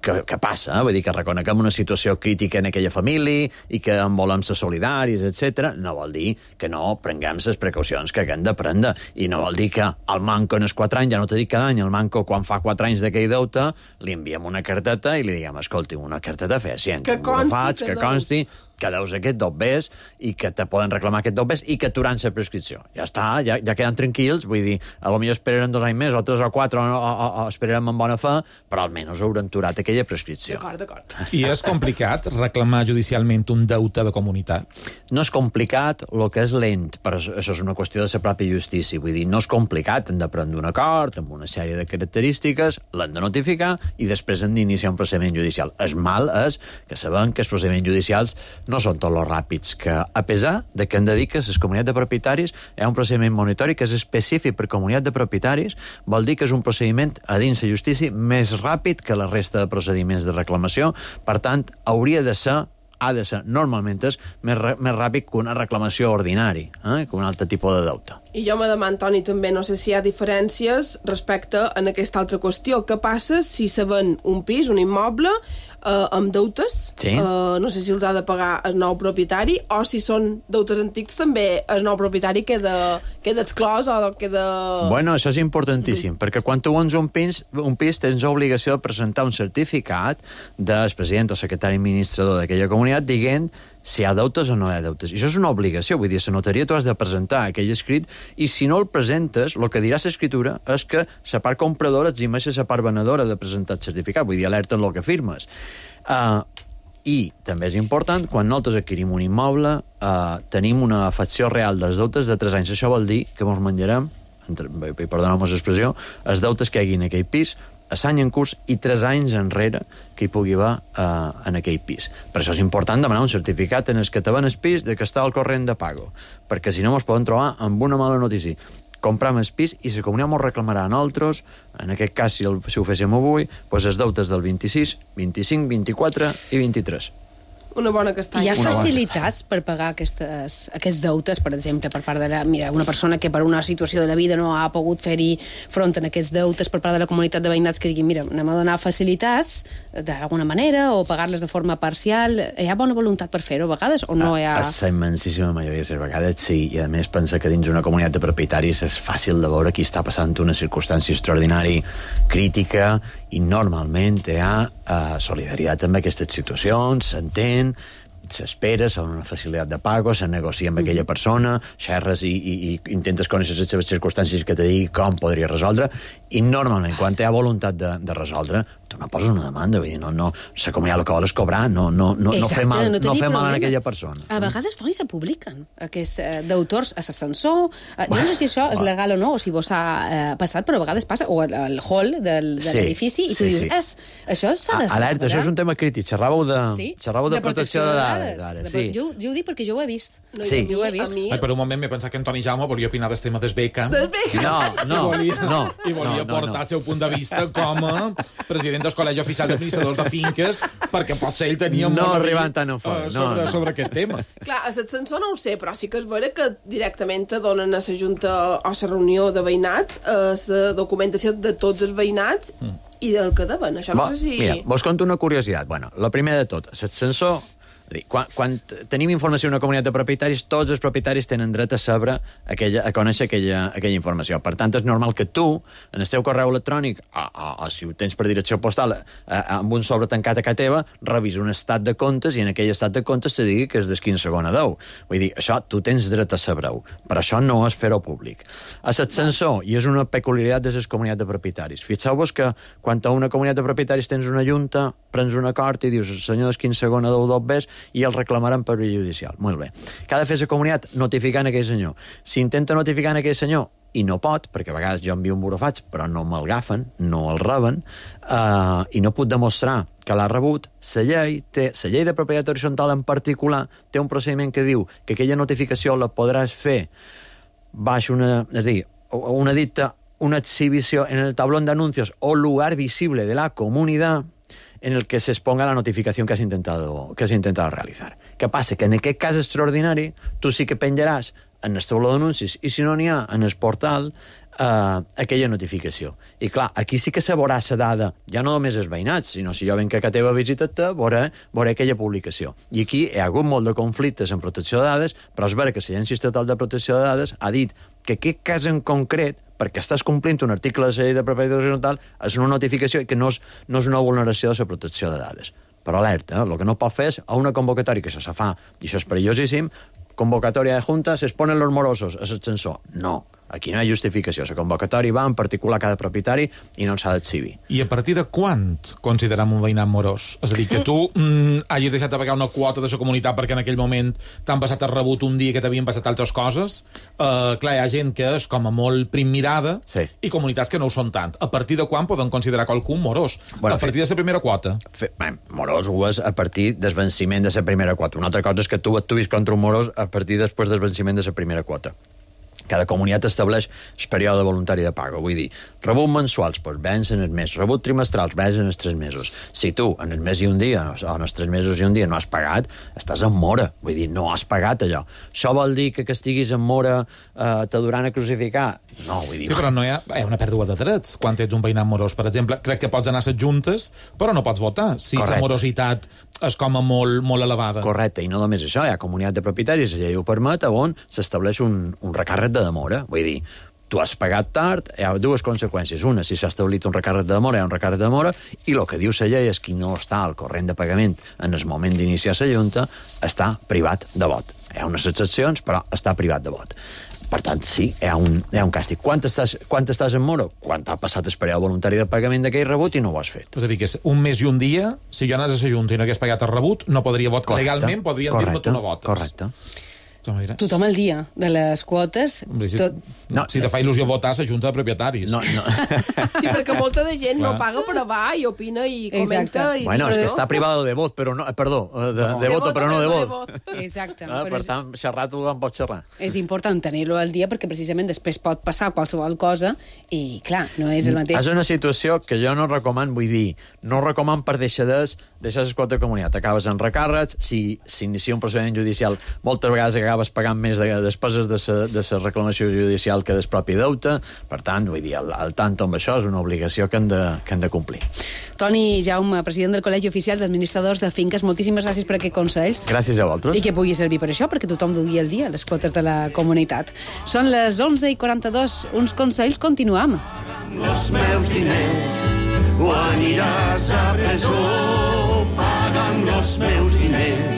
O: que, que passa, eh? Vull dir que reconeguem una situació crítica en aquella família i que en volem ser solidaris, etcètera, no vol dir que no prenguem les precaucions que haguem de prendre. I no vol dir que el manco en els quatre anys, ja no t'he dit cada any, el manco quan fa quatre anys d'aquell deute, li enviem una carteta i li diguem, escolti, una carteta fecient.
F: Que consti,
O: faig, que, que consti, que deus aquest dobbers i que te poden reclamar aquest dobbers i que aturan la prescripció. Ja està, ja, ja queden tranquils, vull dir, a lo millor esperarem dos anys més, o tres o quatre, o, o, o esperarem amb bona fe, però almenys hauran aturat aquella prescripció.
F: D'acord, d'acord.
E: I és complicat reclamar judicialment un deute de comunitat?
O: No és complicat, el que és lent, però això és una qüestió de la pròpia justícia, vull dir, no és complicat, hem de prendre un acord amb una sèrie de característiques, l'hem de notificar i després hem d'iniciar un procediment judicial. El mal és que sabem que els procediments judicials no són tots els ràpids, que a pesar de que hem de dir que les comunitats de propietaris hi ha un procediment monitori que és específic per comunitat de propietaris, vol dir que és un procediment a dins la justícia més ràpid que la resta de procediments de reclamació, per tant, hauria de ser ha de ser, normalment és més, més ràpid que una reclamació ordinària, eh? que un altre tipus de deute.
F: I jo me demano, Toni, també, no sé si hi ha diferències respecte a aquesta altra qüestió. Què passa si se ven un pis, un immoble, eh, amb deutes?
O: Sí.
F: Eh, no sé si els ha de pagar el nou propietari, o si són deutes antics també el nou propietari queda, queda exclòs o queda...
O: Bueno, això és importantíssim, mm. perquè quan tu vens un pis, un pis tens obligació de presentar un certificat del president o secretari administrador d'aquella comunitat dient si hi ha deutes o no hi ha deutes. I això és una obligació, vull dir, a la notaria tu has de presentar aquell escrit i si no el presentes, el que dirà l'escriptura és que la part compradora eximeix la part venedora de presentar el certificat, vull dir, alerta en el que firmes. Uh, I també és important, quan nosaltres adquirim un immoble, uh, tenim una afecció real dels deutes de tres anys. Això vol dir que ens menjarem, perdoneu-me l'expressió, els deutes que hi hagi en aquell pis, a l'any en curs i tres anys enrere que hi pugui haver uh, en aquell pis. Per això és important demanar un certificat en el que te ven el pis de que està al corrent de pago, perquè si no ens poden trobar amb una mala notícia. Compram el pis i la comunitat ens reclamarà a nosaltres, en aquest cas, si, el, si ho féssim avui, doncs els deutes del vint-i-sis, vint-i-cinc, vint-i-quatre i vint-i-tres.
F: Una bona castanya.
D: Hi ha facilitats per pagar aquestes, aquests deutes, per exemple, per part de la, mira, una persona que per una situació de la vida no ha pogut fer-hi front en aquests deutes per part de la comunitat de veïnats que diguin, mira, anem a donar facilitats d'alguna manera o pagar-les de forma parcial. Hi ha bona voluntat per fer-ho a vegades o no hi ha...
O: A la immensíssima majoria de les vegades sí, i a més pensa que dins una comunitat de propietaris és fàcil de veure qui està passant una circumstància extraordinària crítica i normalment hi ha uh, solidaritat amb aquestes situacions, s'entén, s'espera, s'ha una facilitat de pago, se negocia amb aquella persona, xerres i, i, i intentes conèixer les seves circumstàncies que te digui com podria resoldre, i normalment, quan hi ha voluntat de, de resoldre, tu no poses una demanda, vull dir, no, no, la comunitat el que vol és cobrar, no, no, no, no fer mal, no, no fer mal a aquella persona.
D: A vegades, Toni, se publiquen aquests uh, d'autors a l'ascensor. Uh, jo no sé si això és legal o no, o si vos ha uh, passat, però a vegades passa, o al, al hall del, de sí, l'edifici, i tu sí, dius, sí. Es, això s'ha de saber.
O: Alerta, això és un tema crític. Xerràveu de,
D: sí?
O: xerràveu de, de protecció, protecció de dades. De dades.
D: De, sí. jo, jo ho dic perquè jo ho he vist.
F: No,
O: sí.
F: Jo ho he vist.
E: Ai, per un moment m'he pensat que en Toni Jaume volia opinar del tema del Beckham.
F: Del Beckham.
O: No, no,
E: I volia,
O: no.
E: I volia no, no, portar no. el seu punt de vista com a president del Col·legi Oficial d'Administradors de Finques, perquè potser ell tenia
O: no
E: molt
O: arribant tan fort.
E: Uh, sobre,
O: no, no.
E: sobre aquest tema.
F: Clar, a l'ascensor no ho sé, però sí que és vera que directament te donen a la Junta o a la reunió de veïnats la documentació de tots els veïnats mm. i del que deuen. Això no
O: Bo,
F: sé si...
O: Mira, vos conto una curiositat. Bueno, la primera de tot, l'ascensor... Quan, quan tenim informació d'una comunitat de propietaris, tots els propietaris tenen dret a saber aquella, a conèixer aquella, aquella informació. Per tant, és normal que tu, en el teu correu electrònic, o, o, o si ho tens per direcció postal, a, a, amb un sobre tancat a casa teva, revis un estat de comptes i en aquell estat de comptes te digui que és del quinze segon a deu. Vull dir, això tu tens dret a saber-ho, però això no és fer-ho públic. A l'ascensor, i és una peculiaritat de les comunitats de propietaris, fixeu-vos que quan a una comunitat de propietaris tens una junta, prens un acord i dius, senyor, del quinze segon a deu dos ves, i el reclamaran per via judicial. Molt bé. Què ha de fer la comunitat? Notificant aquell senyor. Si intenta notificar aquell senyor i no pot, perquè a vegades jo envio un burofaig, però no me'l agafen, no el reben, eh, i no puc demostrar que l'ha rebut, la llei, té, la llei de propietat horitzontal en particular té un procediment que diu que aquella notificació la podràs fer baix una, és a dir, una dicta, una exhibició en el tablón de anuncios o lugar visible de la comunidad en el que se exponga la notificación que has intentado, que has intentado realizar. ¿Qué pasa? Que en aquest cas extraordinari tu sí que penjaràs en el tauló d'anuncis i si no n'hi ha en el portal eh, aquella notificació. I clar, aquí sí que se veurà la dada, ja no només els veïnats, sinó si jo venc a teva visita-te, veuré, veuré aquella publicació. I aquí hi ha hagut molt de conflictes en protecció de dades, però és vera que l'Agència Estatal de Protecció de Dades ha dit que aquest cas en concret, perquè estàs complint un article de la llei de propietat horitzontal, és una notificació i que no és, no és una vulneració de la protecció de dades. Però alerta, eh? El que no pot fer és a una convocatòria que això se fa, i això és perillosíssim, convocatòria de junta, se exponen los morosos a l'ascensor. No. Aquí no hi ha justificació. La convocatòria va en particular a cada propietari i no s'ha d'exhibir.
E: I a partir de quan considerem un veïnat morós? És a dir, que tu mm, hagis deixat de pagar una quota de la comunitat perquè en aquell moment t'han passat el rebut un dia que t'havien passat altres coses. Uh, clar, hi ha gent que és com a molt primmirada
O: sí.
E: i comunitats que no ho són tant. A partir de quan poden considerar qualcú morós?
O: Bueno,
E: a partir fe... de la primera quota?
O: Fe... Bé, morós ho és a partir del venciment de la primera quota. Una altra cosa és que tu actuïs contra un morós a partir després del venciment de la primera quota. Cada comunitat estableix el període voluntari de pago. Vull dir, rebut mensuals, doncs vencen els mesos. Rebut trimestrals, vencen els tres mesos. Si tu, en el mes i un dia, o en els tres mesos i un dia, no has pagat, estàs en mora. Vull dir, no has pagat allò. Això vol dir que que estiguis en mora eh, t'aduran a crucificar? No, vull dir...
E: Sí, però no hi ha, hi ha una pèrdua de drets quan ets un veïnat morós. Per exemple, crec que pots anar a les juntes, però no pots votar, si la morositat és com a molt, molt elevada.
O: Correcte, i no només això, hi ha comunitat de propietaris, la llei ho permet, on s'estableix un, un recàrrec de demora. Vull dir, tu has pagat tard, hi ha dues conseqüències. Una, si s'ha establit un recàrrec de demora, hi ha un recàrrec de demora, i el que diu la llei és que no està al corrent de pagament en el moment d'iniciar la junta, està privat de vot. Hi ha unes excepcions, però està privat de vot. Per tant, sí, hi ha un, hi ha un càstig. Quan estàs, quan estàs en mora? Quan t'ha passat el període voluntari de pagament d'aquell rebut i no ho has fet.
E: És a dir, que és un mes i un dia, si jo anés a la Junta i no hagués pagat el rebut, no podria votar. Legalment podrien dir-me tu no votes.
O: Correcte.
D: tothom el dia de les quotes.
E: Hombre, si,
D: tot...
E: no, si te fa il·lusió votar, la Junta de Propietaris.
O: No, no.
F: Sí, perquè molta de gent no paga, però va i opina i comenta. I
O: bueno, és que
F: no?
O: està privado de vot, però no... Perdó, de, de, de voto, però no de vot.
D: Exacte.
O: Ah, per tant, xerrar tothom pot xerrar.
D: És important tenir-lo al dia perquè precisament després pot passar qualsevol cosa i, clar, no és el mateix.
O: És una situació que jo no recoman, vull dir, no recoman per deixadors deixar les quotes de comunitat. Acabes en recàrrecs, si s'inicia un procediment judicial, moltes vegades acabes pagant més de despeses de la de sa reclamació judicial que del propi deute. Per tant, vull dir, el, el tanto amb això és una obligació que hem de, que hem de complir.
D: Toni Jaume, president del Col·legi Oficial d'Administradors de Finques, moltíssimes gràcies per aquests consells.
O: Gràcies a vosaltres.
D: I que pugui servir per això, perquè tothom dugui al dia les quotes de la comunitat. Són les onze i quaranta-dos. Uns consells, continuam.
N: Els meus diners o aniràs a presó pagant els meus diners.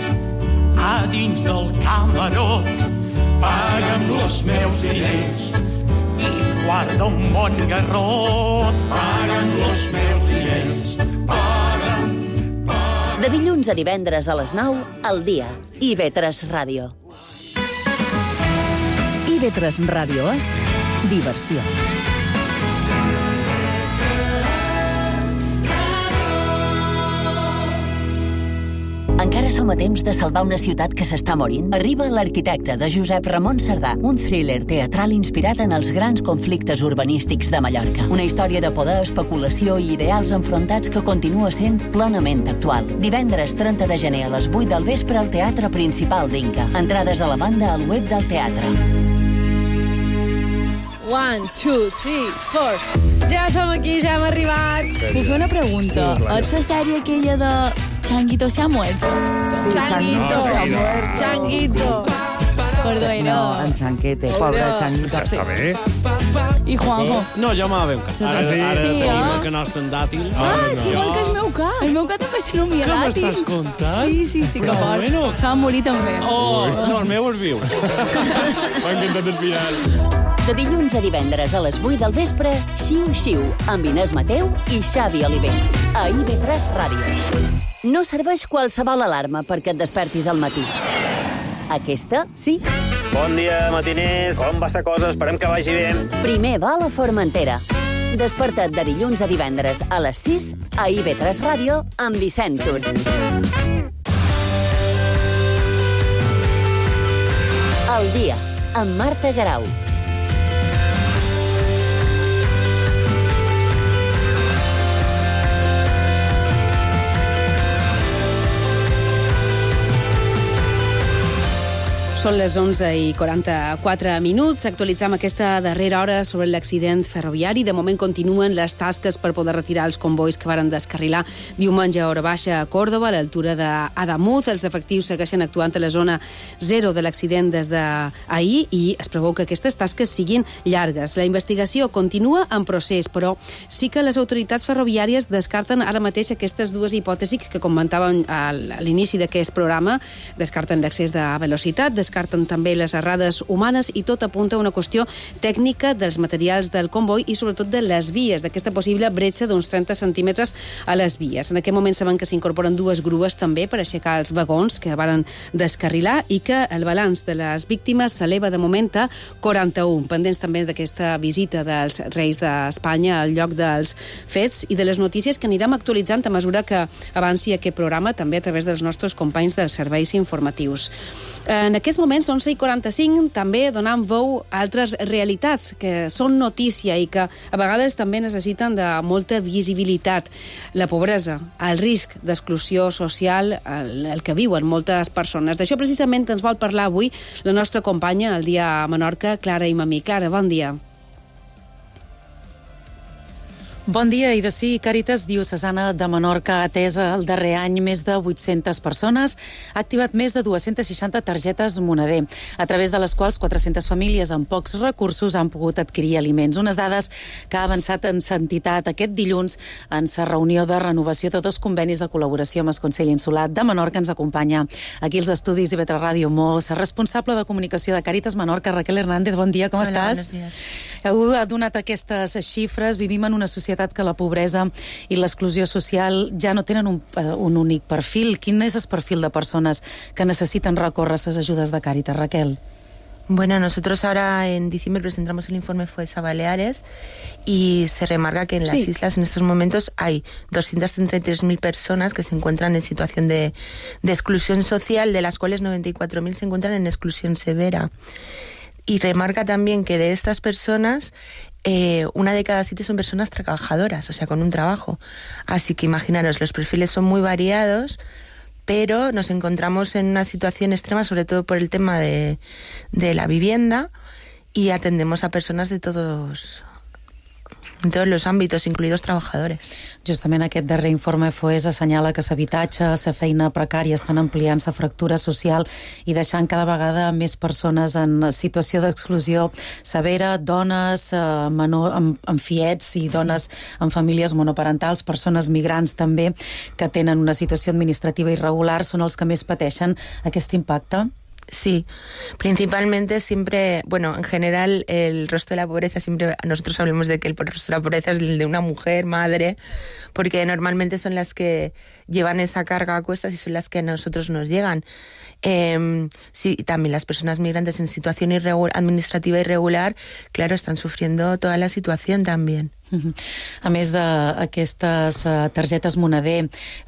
N: A dins del camarot paga'm els meus diners i guarda un bon garrot paga'm els meus diners. Paga'm, paga'm.
B: De dilluns a divendres a les nou, al dia. I ve tres Ràdio.
A: I ve tres Ràdio és diversió.
B: Encara som a temps de salvar una ciutat que s'està morint? Arriba L'arquitecte, de Josep Ramon Cerdà, un thriller teatral inspirat en els grans conflictes urbanístics de Mallorca. Una història de poder, especulació i ideals enfrontats que continua sent plenament actual. Divendres trenta de gener a les vuit del vespre al Teatre Principal d'Inca. Entrades a la banda al web del teatre.
H: One, two, three, four. Ja som aquí, ja hem arribat.
P: Puc fer una pregunta?
H: Sí, clar.
P: Ets la sèrie aquella de Changuito se ha muerto?
H: Sí, Changuito se ha muerto. Changuito.
P: Perdó,
Q: No, en Chanquete, pobre Changuito.
R: Està bé.
P: I Juanjo?
R: No, jo m'ha veu. Ara,
P: Sí,
R: ara
P: sí,
R: tenim
P: eh?
R: el que nostre en dàtil.
P: Ah,
R: no.
P: igual que el meu ca. El meu ca també se nomia
R: Què
P: dàtil.
R: m'estàs contant?
P: Sí, sí, sí, que
R: Però
P: fort.
R: bueno.
P: Se va morir també.
R: Oh, no, el meu és viu. M'ha encantat el final.
B: De dilluns a divendres a les vuit del vespre, Xiu Xiu, amb Inés Mateu i Xavi Oliver. A I V tres Ràdio. No serveix qualsevol alarma perquè et despertis al matí. Aquesta, sí.
C: Bon dia, matiners. Com va la cosa? Esperem que vagi bé.
B: Primer va a la Formentera. Desperta't de dilluns a divendres a les sis a I V tres Ràdio amb Vicent Tur. El dia, amb Marta Garau.
D: Són les onze i quaranta-quatre minuts. Actualitzam aquesta darrera hora sobre l'accident ferroviari. De moment continuen les tasques per poder retirar els convois que varen descarrilar diumenge a hora baixa a Còrdova, a l'altura d'Adamuz. Els efectius segueixen actuant a la zona zero de l'accident des d'ahir i es preveu que aquestes tasques siguin llargues. La investigació continua en procés, però sí que les autoritats ferroviàries descarten ara mateix aquestes dues hipòtesis que comentàvem a l'inici d'aquest programa. Descarten l'excés de velocitat, descarten també les errades humanes i tot apunta a una qüestió tècnica dels materials del comboi i sobretot de les vies, d'aquesta possible bretxa d'uns trenta centímetres a les vies. En aquest moment saben que s'incorporen dues grues també per aixecar els vagons que varen descarrilar i que el balanç de les víctimes s'eleva de moment a quaranta-un, pendents també d'aquesta visita dels Reis d'Espanya al lloc dels fets i de les notícies que anirem actualitzant a mesura que avanci aquest programa també a través dels nostres companys dels serveis informatius. En aquests moments, onze i quaranta-cinc, també donant veu a altres realitats que són notícia i que a vegades també necessiten de molta visibilitat. La pobresa, el risc d'exclusió social, el, el que viuen moltes persones. D'això precisament ens vol parlar avui la nostra companya al dia a Menorca, Clara Imamí. Clara, bon dia.
S: Bon dia, i de sí, Càritas Diocesana de Menorca ha atès el darrer any més de vuit-centes persones, ha activat més de dues-centes seixanta targetes moneder, a través de les quals quatre-centes famílies amb pocs recursos han pogut adquirir aliments. Unes dades que ha avançat en entitat aquest dilluns en sa reunió de renovació de dos convenis de col·laboració amb el Consell Insular de Menorca. Ens acompanya aquí als estudis I V tres Ràdio Mos, responsable de comunicació de Càritas Menorca, Raquel Hernández. Bon dia, com
T: Hola,
S: estàs?
T: buenos días.
S: Heu donat aquestes xifres, vivim en una societat societat que la pobresa i l'exclusió social ja no tenen un, un únic perfil. Quin és el perfil de persones que necessiten recórrer a les ajudes de Càritas, Raquel?
T: Bueno, nosotros ahora en diciembre presentamos el informe FOES a Baleares y se remarca que en las sí. islas en estos momentos hay doscientas treinta y tres mil personas que se encuentran en situación de, de exclusión social, de las cuales noventa y cuatro mil se encuentran en exclusión severa. Y remarca también que de estas personas, eh, una de cada siete son personas trabajadoras, o sea, con un trabajo. Así que imaginaros, los perfiles son muy variados, pero nos encontramos en una situación extrema, sobre todo por el tema de, de la vivienda, y atendemos a personas de todos, en todos los ámbitos, incluidos trabajadores.
S: Justament aquest darrer informe FOES assenyala que l'habitatge, la feina precària estan ampliant la fractura social i deixant cada vegada més persones en situació d'exclusió severa, dones eh, menor, amb, amb fiets i dones sí. amb famílies monoparentals, persones migrants també, que tenen una situació administrativa irregular, són els que més pateixen aquest impacte.
T: Sí, principalmente siempre, bueno, en general el rostro de la pobreza, siempre nosotros hablamos de que el rostro de la pobreza es el de una mujer, madre, porque normalmente son las que llevan esa carga a cuestas y son las que a nosotros nos llegan. Eh, sí, también las personas migrantes en situación irregular, administrativa irregular, claro, están sufriendo toda la situación también.
S: A més d'aquestes uh, targetes moneder,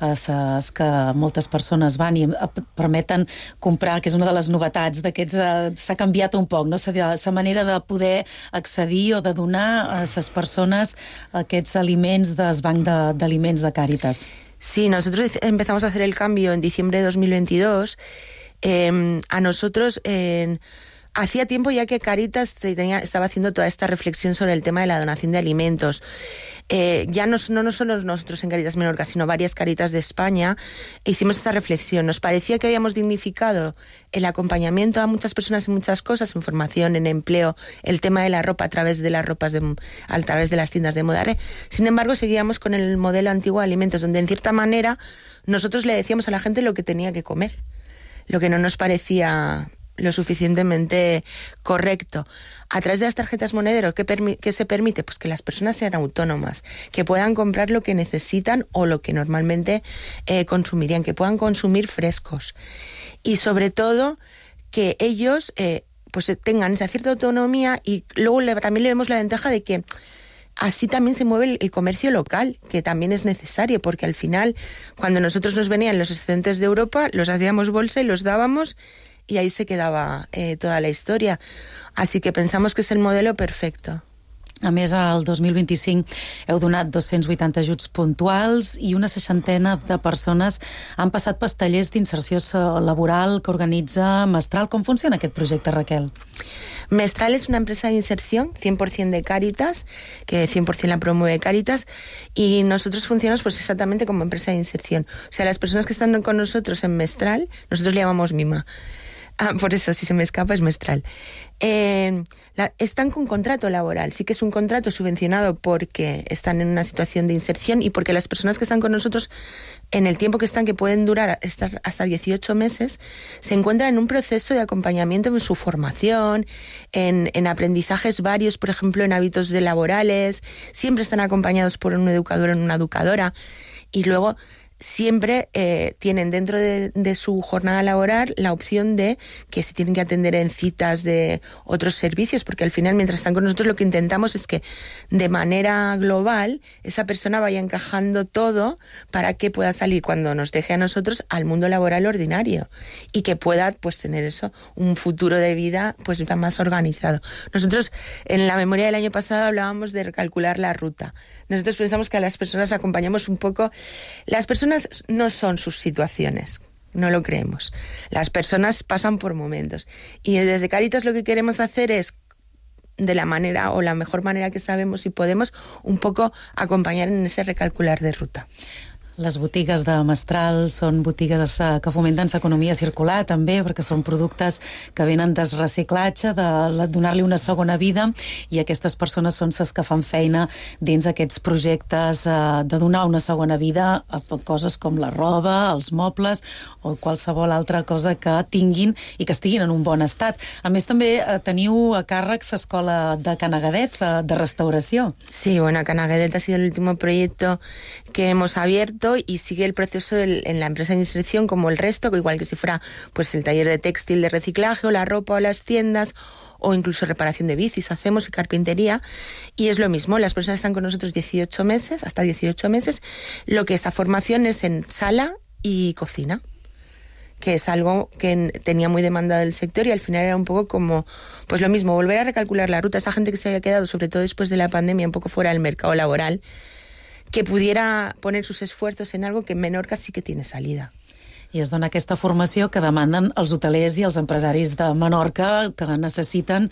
S: uh, ses que moltes persones van i uh, permeten comprar, que és una de les novetats d'aquests, uh, s'ha canviat un poc, no? La manera de poder accedir o de donar a les persones aquests aliments del banc d'aliments de, de Càritas.
T: Sí, nosotros empezamos a hacer el cambio en diciembre de dos mil veintidós. Eh, a nosotros... Eh, Hacía tiempo ya que Càritas tenía, estaba haciendo toda esta reflexión sobre el tema de la donación de alimentos. Eh, ya no, no, no solo nosotros en Càritas Menorca, sino varias Càritas de España, hicimos esta reflexión. Nos parecía que habíamos dignificado el acompañamiento a muchas personas en muchas cosas, en formación, en empleo, el tema de la ropa a través de las ropas, de, a través de las tiendas de moda. Sin embargo, seguíamos con el modelo antiguo de alimentos, donde en cierta manera nosotros le decíamos a la gente lo que tenía que comer, lo que no nos parecía lo suficientemente correcto. A través de las tarjetas monedero, ¿qué, ¿qué se permite? Pues que las personas sean autónomas, que puedan comprar lo que necesitan o lo que normalmente eh, consumirían, que puedan consumir frescos. Y sobre todo, que ellos eh, pues tengan esa cierta autonomía, y luego le, también le vemos la ventaja de que así también se mueve el, el comercio local, que también es necesario, porque al final, cuando nosotros nos venían los excedentes de Europa, los hacíamos bolsa y los dábamos, y ahí se quedaba eh, toda la historia. Así que pensamos que es el modelo perfecto.
S: A més, el dos mil vint-i-cinc heu donat dos-cents vuitanta ajuts puntuals i una seixantena de persones han passat pels tallers d'inserció laboral que organitza Mestral. Com funciona aquest projecte, Raquel?
T: Mestral es una empresa de inserción cien por ciento de Càritas, que cien por ciento la promueve Càritas, y nosotros funcionamos pues exactamente como empresa de inserción. O sea, las personas que están con nosotros en Mestral, nosotros le llamamos Mima. Ah, por eso, si se me escapa, es Mestral. Eh, la, están con contrato laboral. Sí que es un contrato subvencionado porque están en una situación de inserción y porque las personas que están con nosotros, en el tiempo que están, que pueden durar estar hasta dieciocho meses, se encuentran en un proceso de acompañamiento en su formación, en, en aprendizajes varios, por ejemplo, en hábitos de laborales. Siempre están acompañados por un educador o una educadora. Y luego siempre eh, tienen dentro de, de su jornada laboral la opción de que se tienen que atender en citas de otros servicios, porque al final, mientras están con nosotros, lo que intentamos es que de manera global esa persona vaya encajando todo para que pueda salir, cuando nos deje a nosotros, al mundo laboral ordinario y que pueda pues tener eso, un futuro de vida pues más organizado. Nosotros en la memoria del año pasado hablábamos de recalcular la ruta. Nosotros pensamos que a las personas acompañamos un poco. Las personas no son sus situaciones, no lo creemos. Las personas pasan por momentos. Y desde Càritas lo que queremos hacer es, de la manera o la mejor manera que sabemos y podemos, un poco acompañar en ese recalcular de ruta.
S: Les botigues de Mestral són botigues eh, que fomenten l'economia circular també, perquè són productes que venen del reciclatge, de la- donar-li una segona vida, i aquestes persones són les que fan feina dins aquests projectes eh, de donar una segona vida a coses com la roba, els mobles o qualsevol altra cosa que tinguin i que estiguin en un bon estat. A més, també eh, teniu a càrrec l'escola de Canagadets de, de restauració.
T: Sí, bueno, Canaguedet ha sido el último proyecto que hemos abierto y sigue el proceso del- en la empresa de inserción como el resto, que igual que si fuera pues el taller de textil de reciclaje o la ropa o las tiendas o incluso reparación de bicis hacemos y carpintería, y es lo mismo, las personas están con nosotros dieciocho meses, hasta dieciocho meses, lo que esa formación es en sala y cocina, que es algo que en- tenía muy demandado el sector y al final era un poco como, pues lo mismo, volver a recalcular la ruta, esa gente que se había quedado, sobre todo después de la pandemia, un poco fuera del mercado laboral, que pudiera poner sus esfuerzos en algo que en Menorca sí que tiene salida.
S: I es dona aquesta formació que demanden els hotelers i els empresaris de Menorca, que necessiten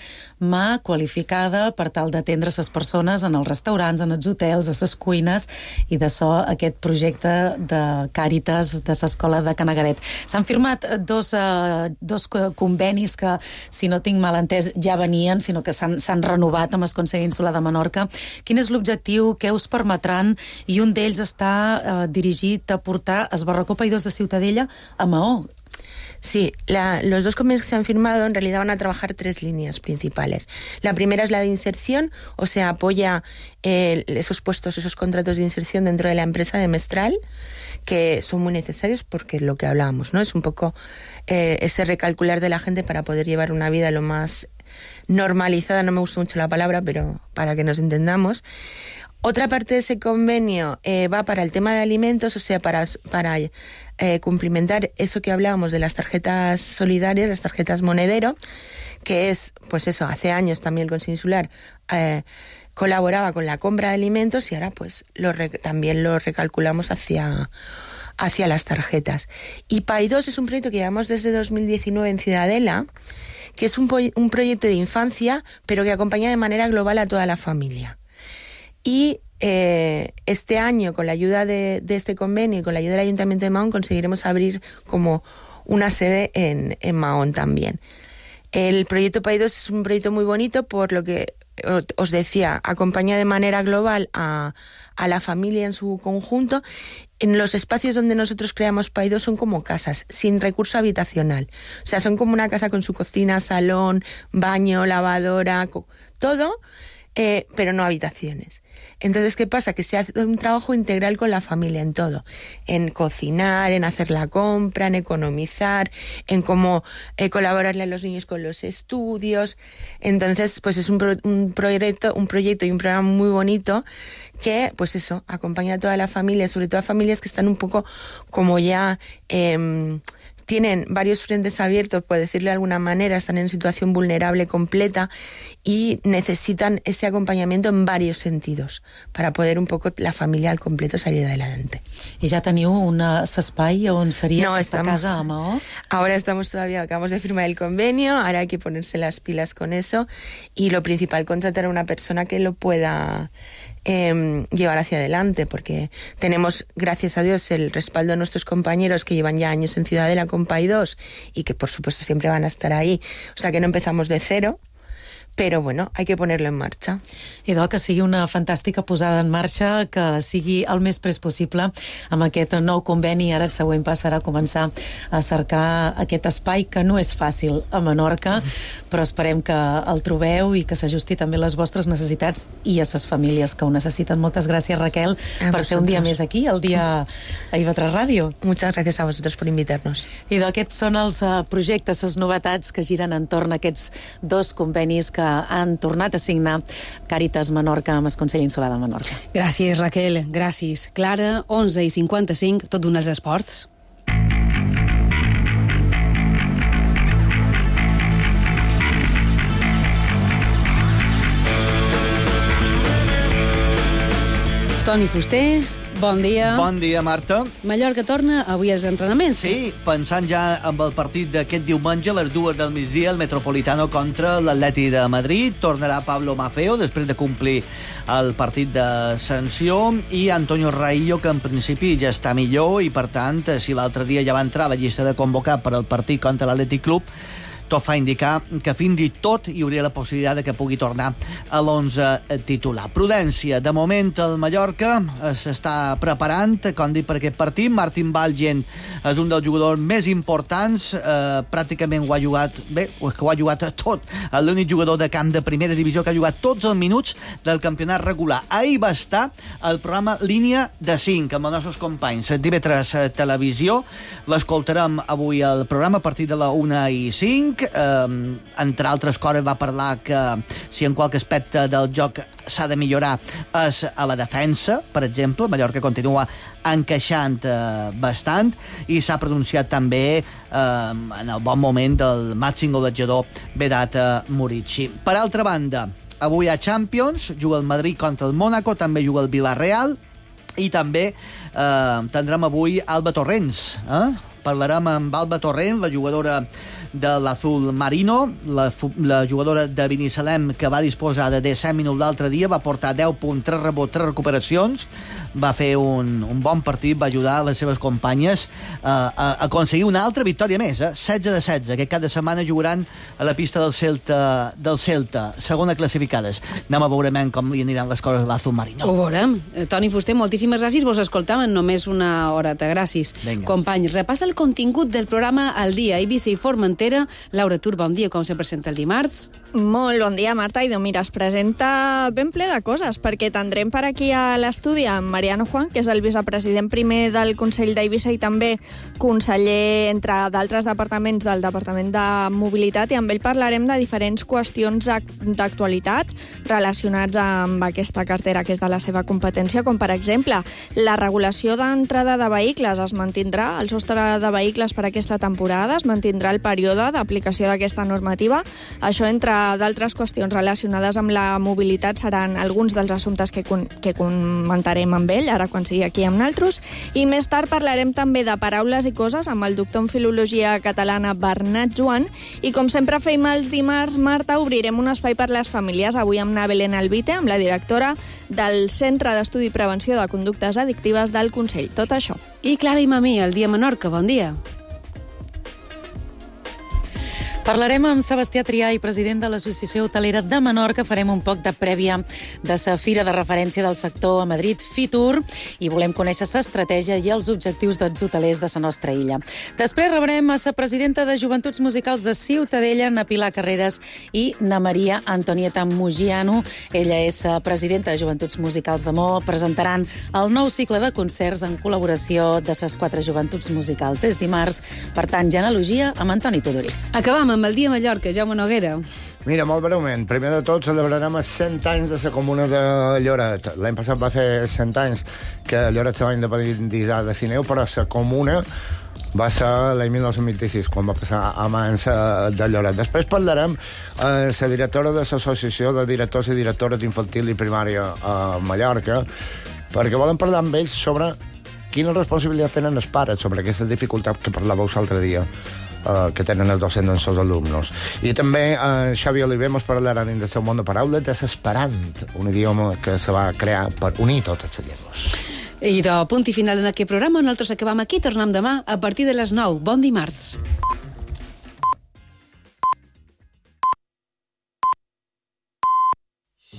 S: mà qualificada per tal d'atendre les persones en els restaurants, en els hotels, a les cuines, i de so aquest projecte de Càritas de l'escola de Canaguedet. S'han firmat dos, eh, dos co- convenis que, si no tinc mal entès, ja venien, sinó que s'han s'han renovat amb el Consell Insular de Menorca. Quin és l'objectiu? Què us permetran? I un d'ells està eh, dirigit a portar els Barracó Païdors de Ciutadella a Maó.
T: Sí, la- los dos convenios que se han firmado en realidad van a trabajar tres líneas principales. La primera es la de inserción, o sea, apoya eh, esos puestos, esos contratos de inserción dentro de la empresa de Mestral, que son muy necesarios porque lo que hablábamos, ¿no? Es un poco eh, ese recalcular de la gente para poder llevar una vida lo más normalizada, no me gusta mucho la palabra, pero para que nos entendamos. Otra parte de ese convenio eh, va para el tema de alimentos, o sea, para, para eh, cumplimentar eso que hablábamos de las tarjetas solidarias, las tarjetas monedero, que es, pues eso, hace años también el Consejo Insular eh, colaboraba con la compra de alimentos y ahora pues lo re- también lo recalculamos hacia, hacia las tarjetas. Y P A I dos es un proyecto que llevamos desde dos mil diecinueve en Ciudadela, que es un, po- un proyecto de infancia, pero que acompaña de manera global a toda la familia. Y eh, este año, con la ayuda de, de este convenio y con la ayuda del Ayuntamiento de Mahón, conseguiremos abrir como una sede en, en Mahón también. El proyecto P A I dos es un proyecto muy bonito por lo que os- os decía, acompaña de manera global a, a la familia en su conjunto. En los espacios donde nosotros creamos P A I dos son como casas, sin recurso habitacional. O sea, son como una casa con su cocina, salón, baño, lavadora, co- todo, eh, pero no habitaciones. Entonces, ¿qué pasa? Que se hace un trabajo integral con la familia en todo. En cocinar, en hacer la compra, en economizar, en cómo eh, colaborarle a los niños con los estudios. Entonces, pues es un, pro- un proyecto, un proyecto y un programa muy bonito que, pues eso, acompaña a toda la familia, sobre todo a familias que están un poco como ya... Eh, tienen varios frentes abiertos, por decirlo de alguna manera, están en situación vulnerable completa y necesitan ese acompañamiento en varios sentidos para poder un poco la familia al completo salir adelante.
S: I ja teniu un espai on seria
T: No,
S: aquesta
T: estamos-
S: casa a Maó?
T: Ahora estamos todavía, acabamos de firmar el convenio, ahora hay que ponerse las pilas con eso y lo principal, contratar a una persona que lo pueda eh, llevar hacia adelante, porque tenemos, gracias a Dios, el respaldo de nuestros compañeros que llevan ya años en Ciudadela con P A I dos y que por supuesto siempre van a estar ahí, o sea que no empezamos de cero, però bueno, hay que ponerlo en marcha.
S: Idò, que sigui una fantàstica posada en marxa, que sigui el més pres possible amb aquest nou conveni. Ara el següent pas serà començar a cercar aquest espai, que no és fàcil a Menorca, però esperem que el trobeu i que s'ajusti també a les vostres necessitats i a les famílies que ho necessiten. Moltes gràcies, Raquel,
T: A
S: per ser un dia
T: vosaltres.
S: més aquí, el dia a I V tres Ràdio.
T: Muchas gracias a vosotros por invitarnos.
S: Idò, aquests són els uh, projectes, les novetats que giren entorn a aquests dos convenis que han tornat a signar Càritas Menorca amb el Consell Insular de Menorca.
D: Gràcies, Raquel, gràcies. Clara, onze i cinquanta-cinc, tot d'un els esports. Toni Fuster, Bon dia.
U: Bon dia, Marta.
D: Mallorca torna avui als entrenaments.
U: Sí, pensant ja amb el partit d'aquest diumenge a les dues del migdia, el Metropolitano contra l'Atleti de Madrid. Tornarà Pablo Maffeo després de complir el partit de sanció i Antonio Raillo, que en principi ja està millor i, per tant, si l'altre dia ja va entrar a la llista de convocar per al partit contra l'Atlètic Club, tot fa indicar que fins i tot hi hauria la possibilitat de que pugui tornar a l'onze titular. Prudència, de moment el Mallorca s'està preparant, com dic, per aquest partit. Martin Valgen és un dels jugadors més importants, eh, pràcticament ho ha jugat, bé, és que ho ha jugat tot, l'únic jugador de camp de primera divisió que ha jugat tots els minuts del campionat regular. Ahir va estar el programa Línia de cinc amb els nostres companys D V tres Televisió. L'escoltarem avui al programa a partir de la una i cinc. Um, entre altres coses va parlar que si en qualque aspecte del joc s'ha de millorar és a la defensa, per exemple. Mallorca continua encaixant uh, bastant i s'ha pronunciat també uh, en el bon moment del màxim golejador Vedat Murici. Per altra banda, avui a Champions juga el Madrid contra el Mónaco, també juga el Villarreal i també eh, tindrem avui Alba Torrents. Eh? Parlarem amb Alba Torrent, la jugadora de l'Azul Marino, la, la jugadora de Binissalem, que va disposar de disset minuts l'altre dia, va portar deu punts, tres rebots, tres recuperacions, va fer un, un bon partit, va ajudar les seves companyes eh, a aconseguir una altra victòria més, eh? setze de setze, que cada setmana jugaran a la pista del Celta, del Celta, segona classificades. Anem a veure com li aniran les coses a l'Azul Marino.
D: Ho veurem. Toni Fuster, moltíssimes gràcies. Vos escoltàvem només una horeta. Gràcies.
U: Venga.
D: Companys, repassa el contingut del programa al dia. Eivissa i Formentera. Laura Tur, bon dia. Com se presenta el dimarts?
V: Molt bon dia, Marta. I doncs mira, es presenta ben ple de coses, perquè tindrem per aquí a l'estudi amb Mariano Juan, que és el vicepresident primer del Consell d'Eivissa i també conseller, entre d'altres departaments, del Departament de Mobilitat, i amb ell parlarem de diferents qüestions d'actualitat relacionats amb aquesta cartera que és de la seva competència, com per exemple la regulació d'entrada de vehicles es mantindrà, el sostre de vehicles per aquesta temporada, es mantindrà el període d'aplicació d'aquesta normativa. Això, entre d'altres qüestions relacionades amb la mobilitat, seran alguns dels assumptes que, con que comentarem amb ell, ara quan sigui aquí amb naltros. I més tard parlarem també de paraules i coses amb el doctor en Filologia Catalana Bernat Joan. I com sempre fem els dimarts, Marta, obrirem un espai per les famílies, avui amb na Belén Albite, amb la directora del Centre d'Estudi i Prevenció de Conductes Addictives del Consell. Tot això.
D: I Clara i Mamí, el dia Menorca. Bon dia.
S: Parlarem amb Sebastià Triay, president de l'Associació Hotelera de Menorca. Farem un poc de prèvia de sa fira de referència del sector a Madrid, Fitur, i volem conèixer sa estratègia i els objectius dels hotelers de sa nostra illa. Després rebrem a sa presidenta de Joventuts Musicals de Ciutadella, na Pilar Carreras, i na Maria Antonieta Mugiano. Ella és presidenta de Joventuts Musicals de Mo. Presentaran el nou cicle de concerts en col·laboració de ses quatre joventuts musicals. És dimarts, per tant, genealogia amb Antoni Tudorí.
D: Acabam amb el dia Mallorca, Jaume Noguera.
W: Mira, molt breument. Primer de tot, celebrarem els cent anys de la comuna de Lloret. L'any passat va fer cent anys que Lloret se va independitzar de Sineu, però la comuna va ser l'any mil nou-cents vint-i-sis, quan va passar a mans de Lloret. Després parlarem amb la directora de l'Associació de Directors i Directores d'Infantil i Primària a Mallorca, perquè volen parlar amb ells sobre quina responsabilitat tenen els pares sobre aquesta dificultat que parlàveu l'altre dia, Uh, que tenen els docents amb els alumnes. I també uh, Xavi Oliver ens parlarà dins del seu món de paraules de l'esperant, un idioma que se va crear per unir totes les llengües.
D: I de punt i final en aquest programa, nosaltres acabam aquí, tornem demà a partir de les nou. Bon dimarts.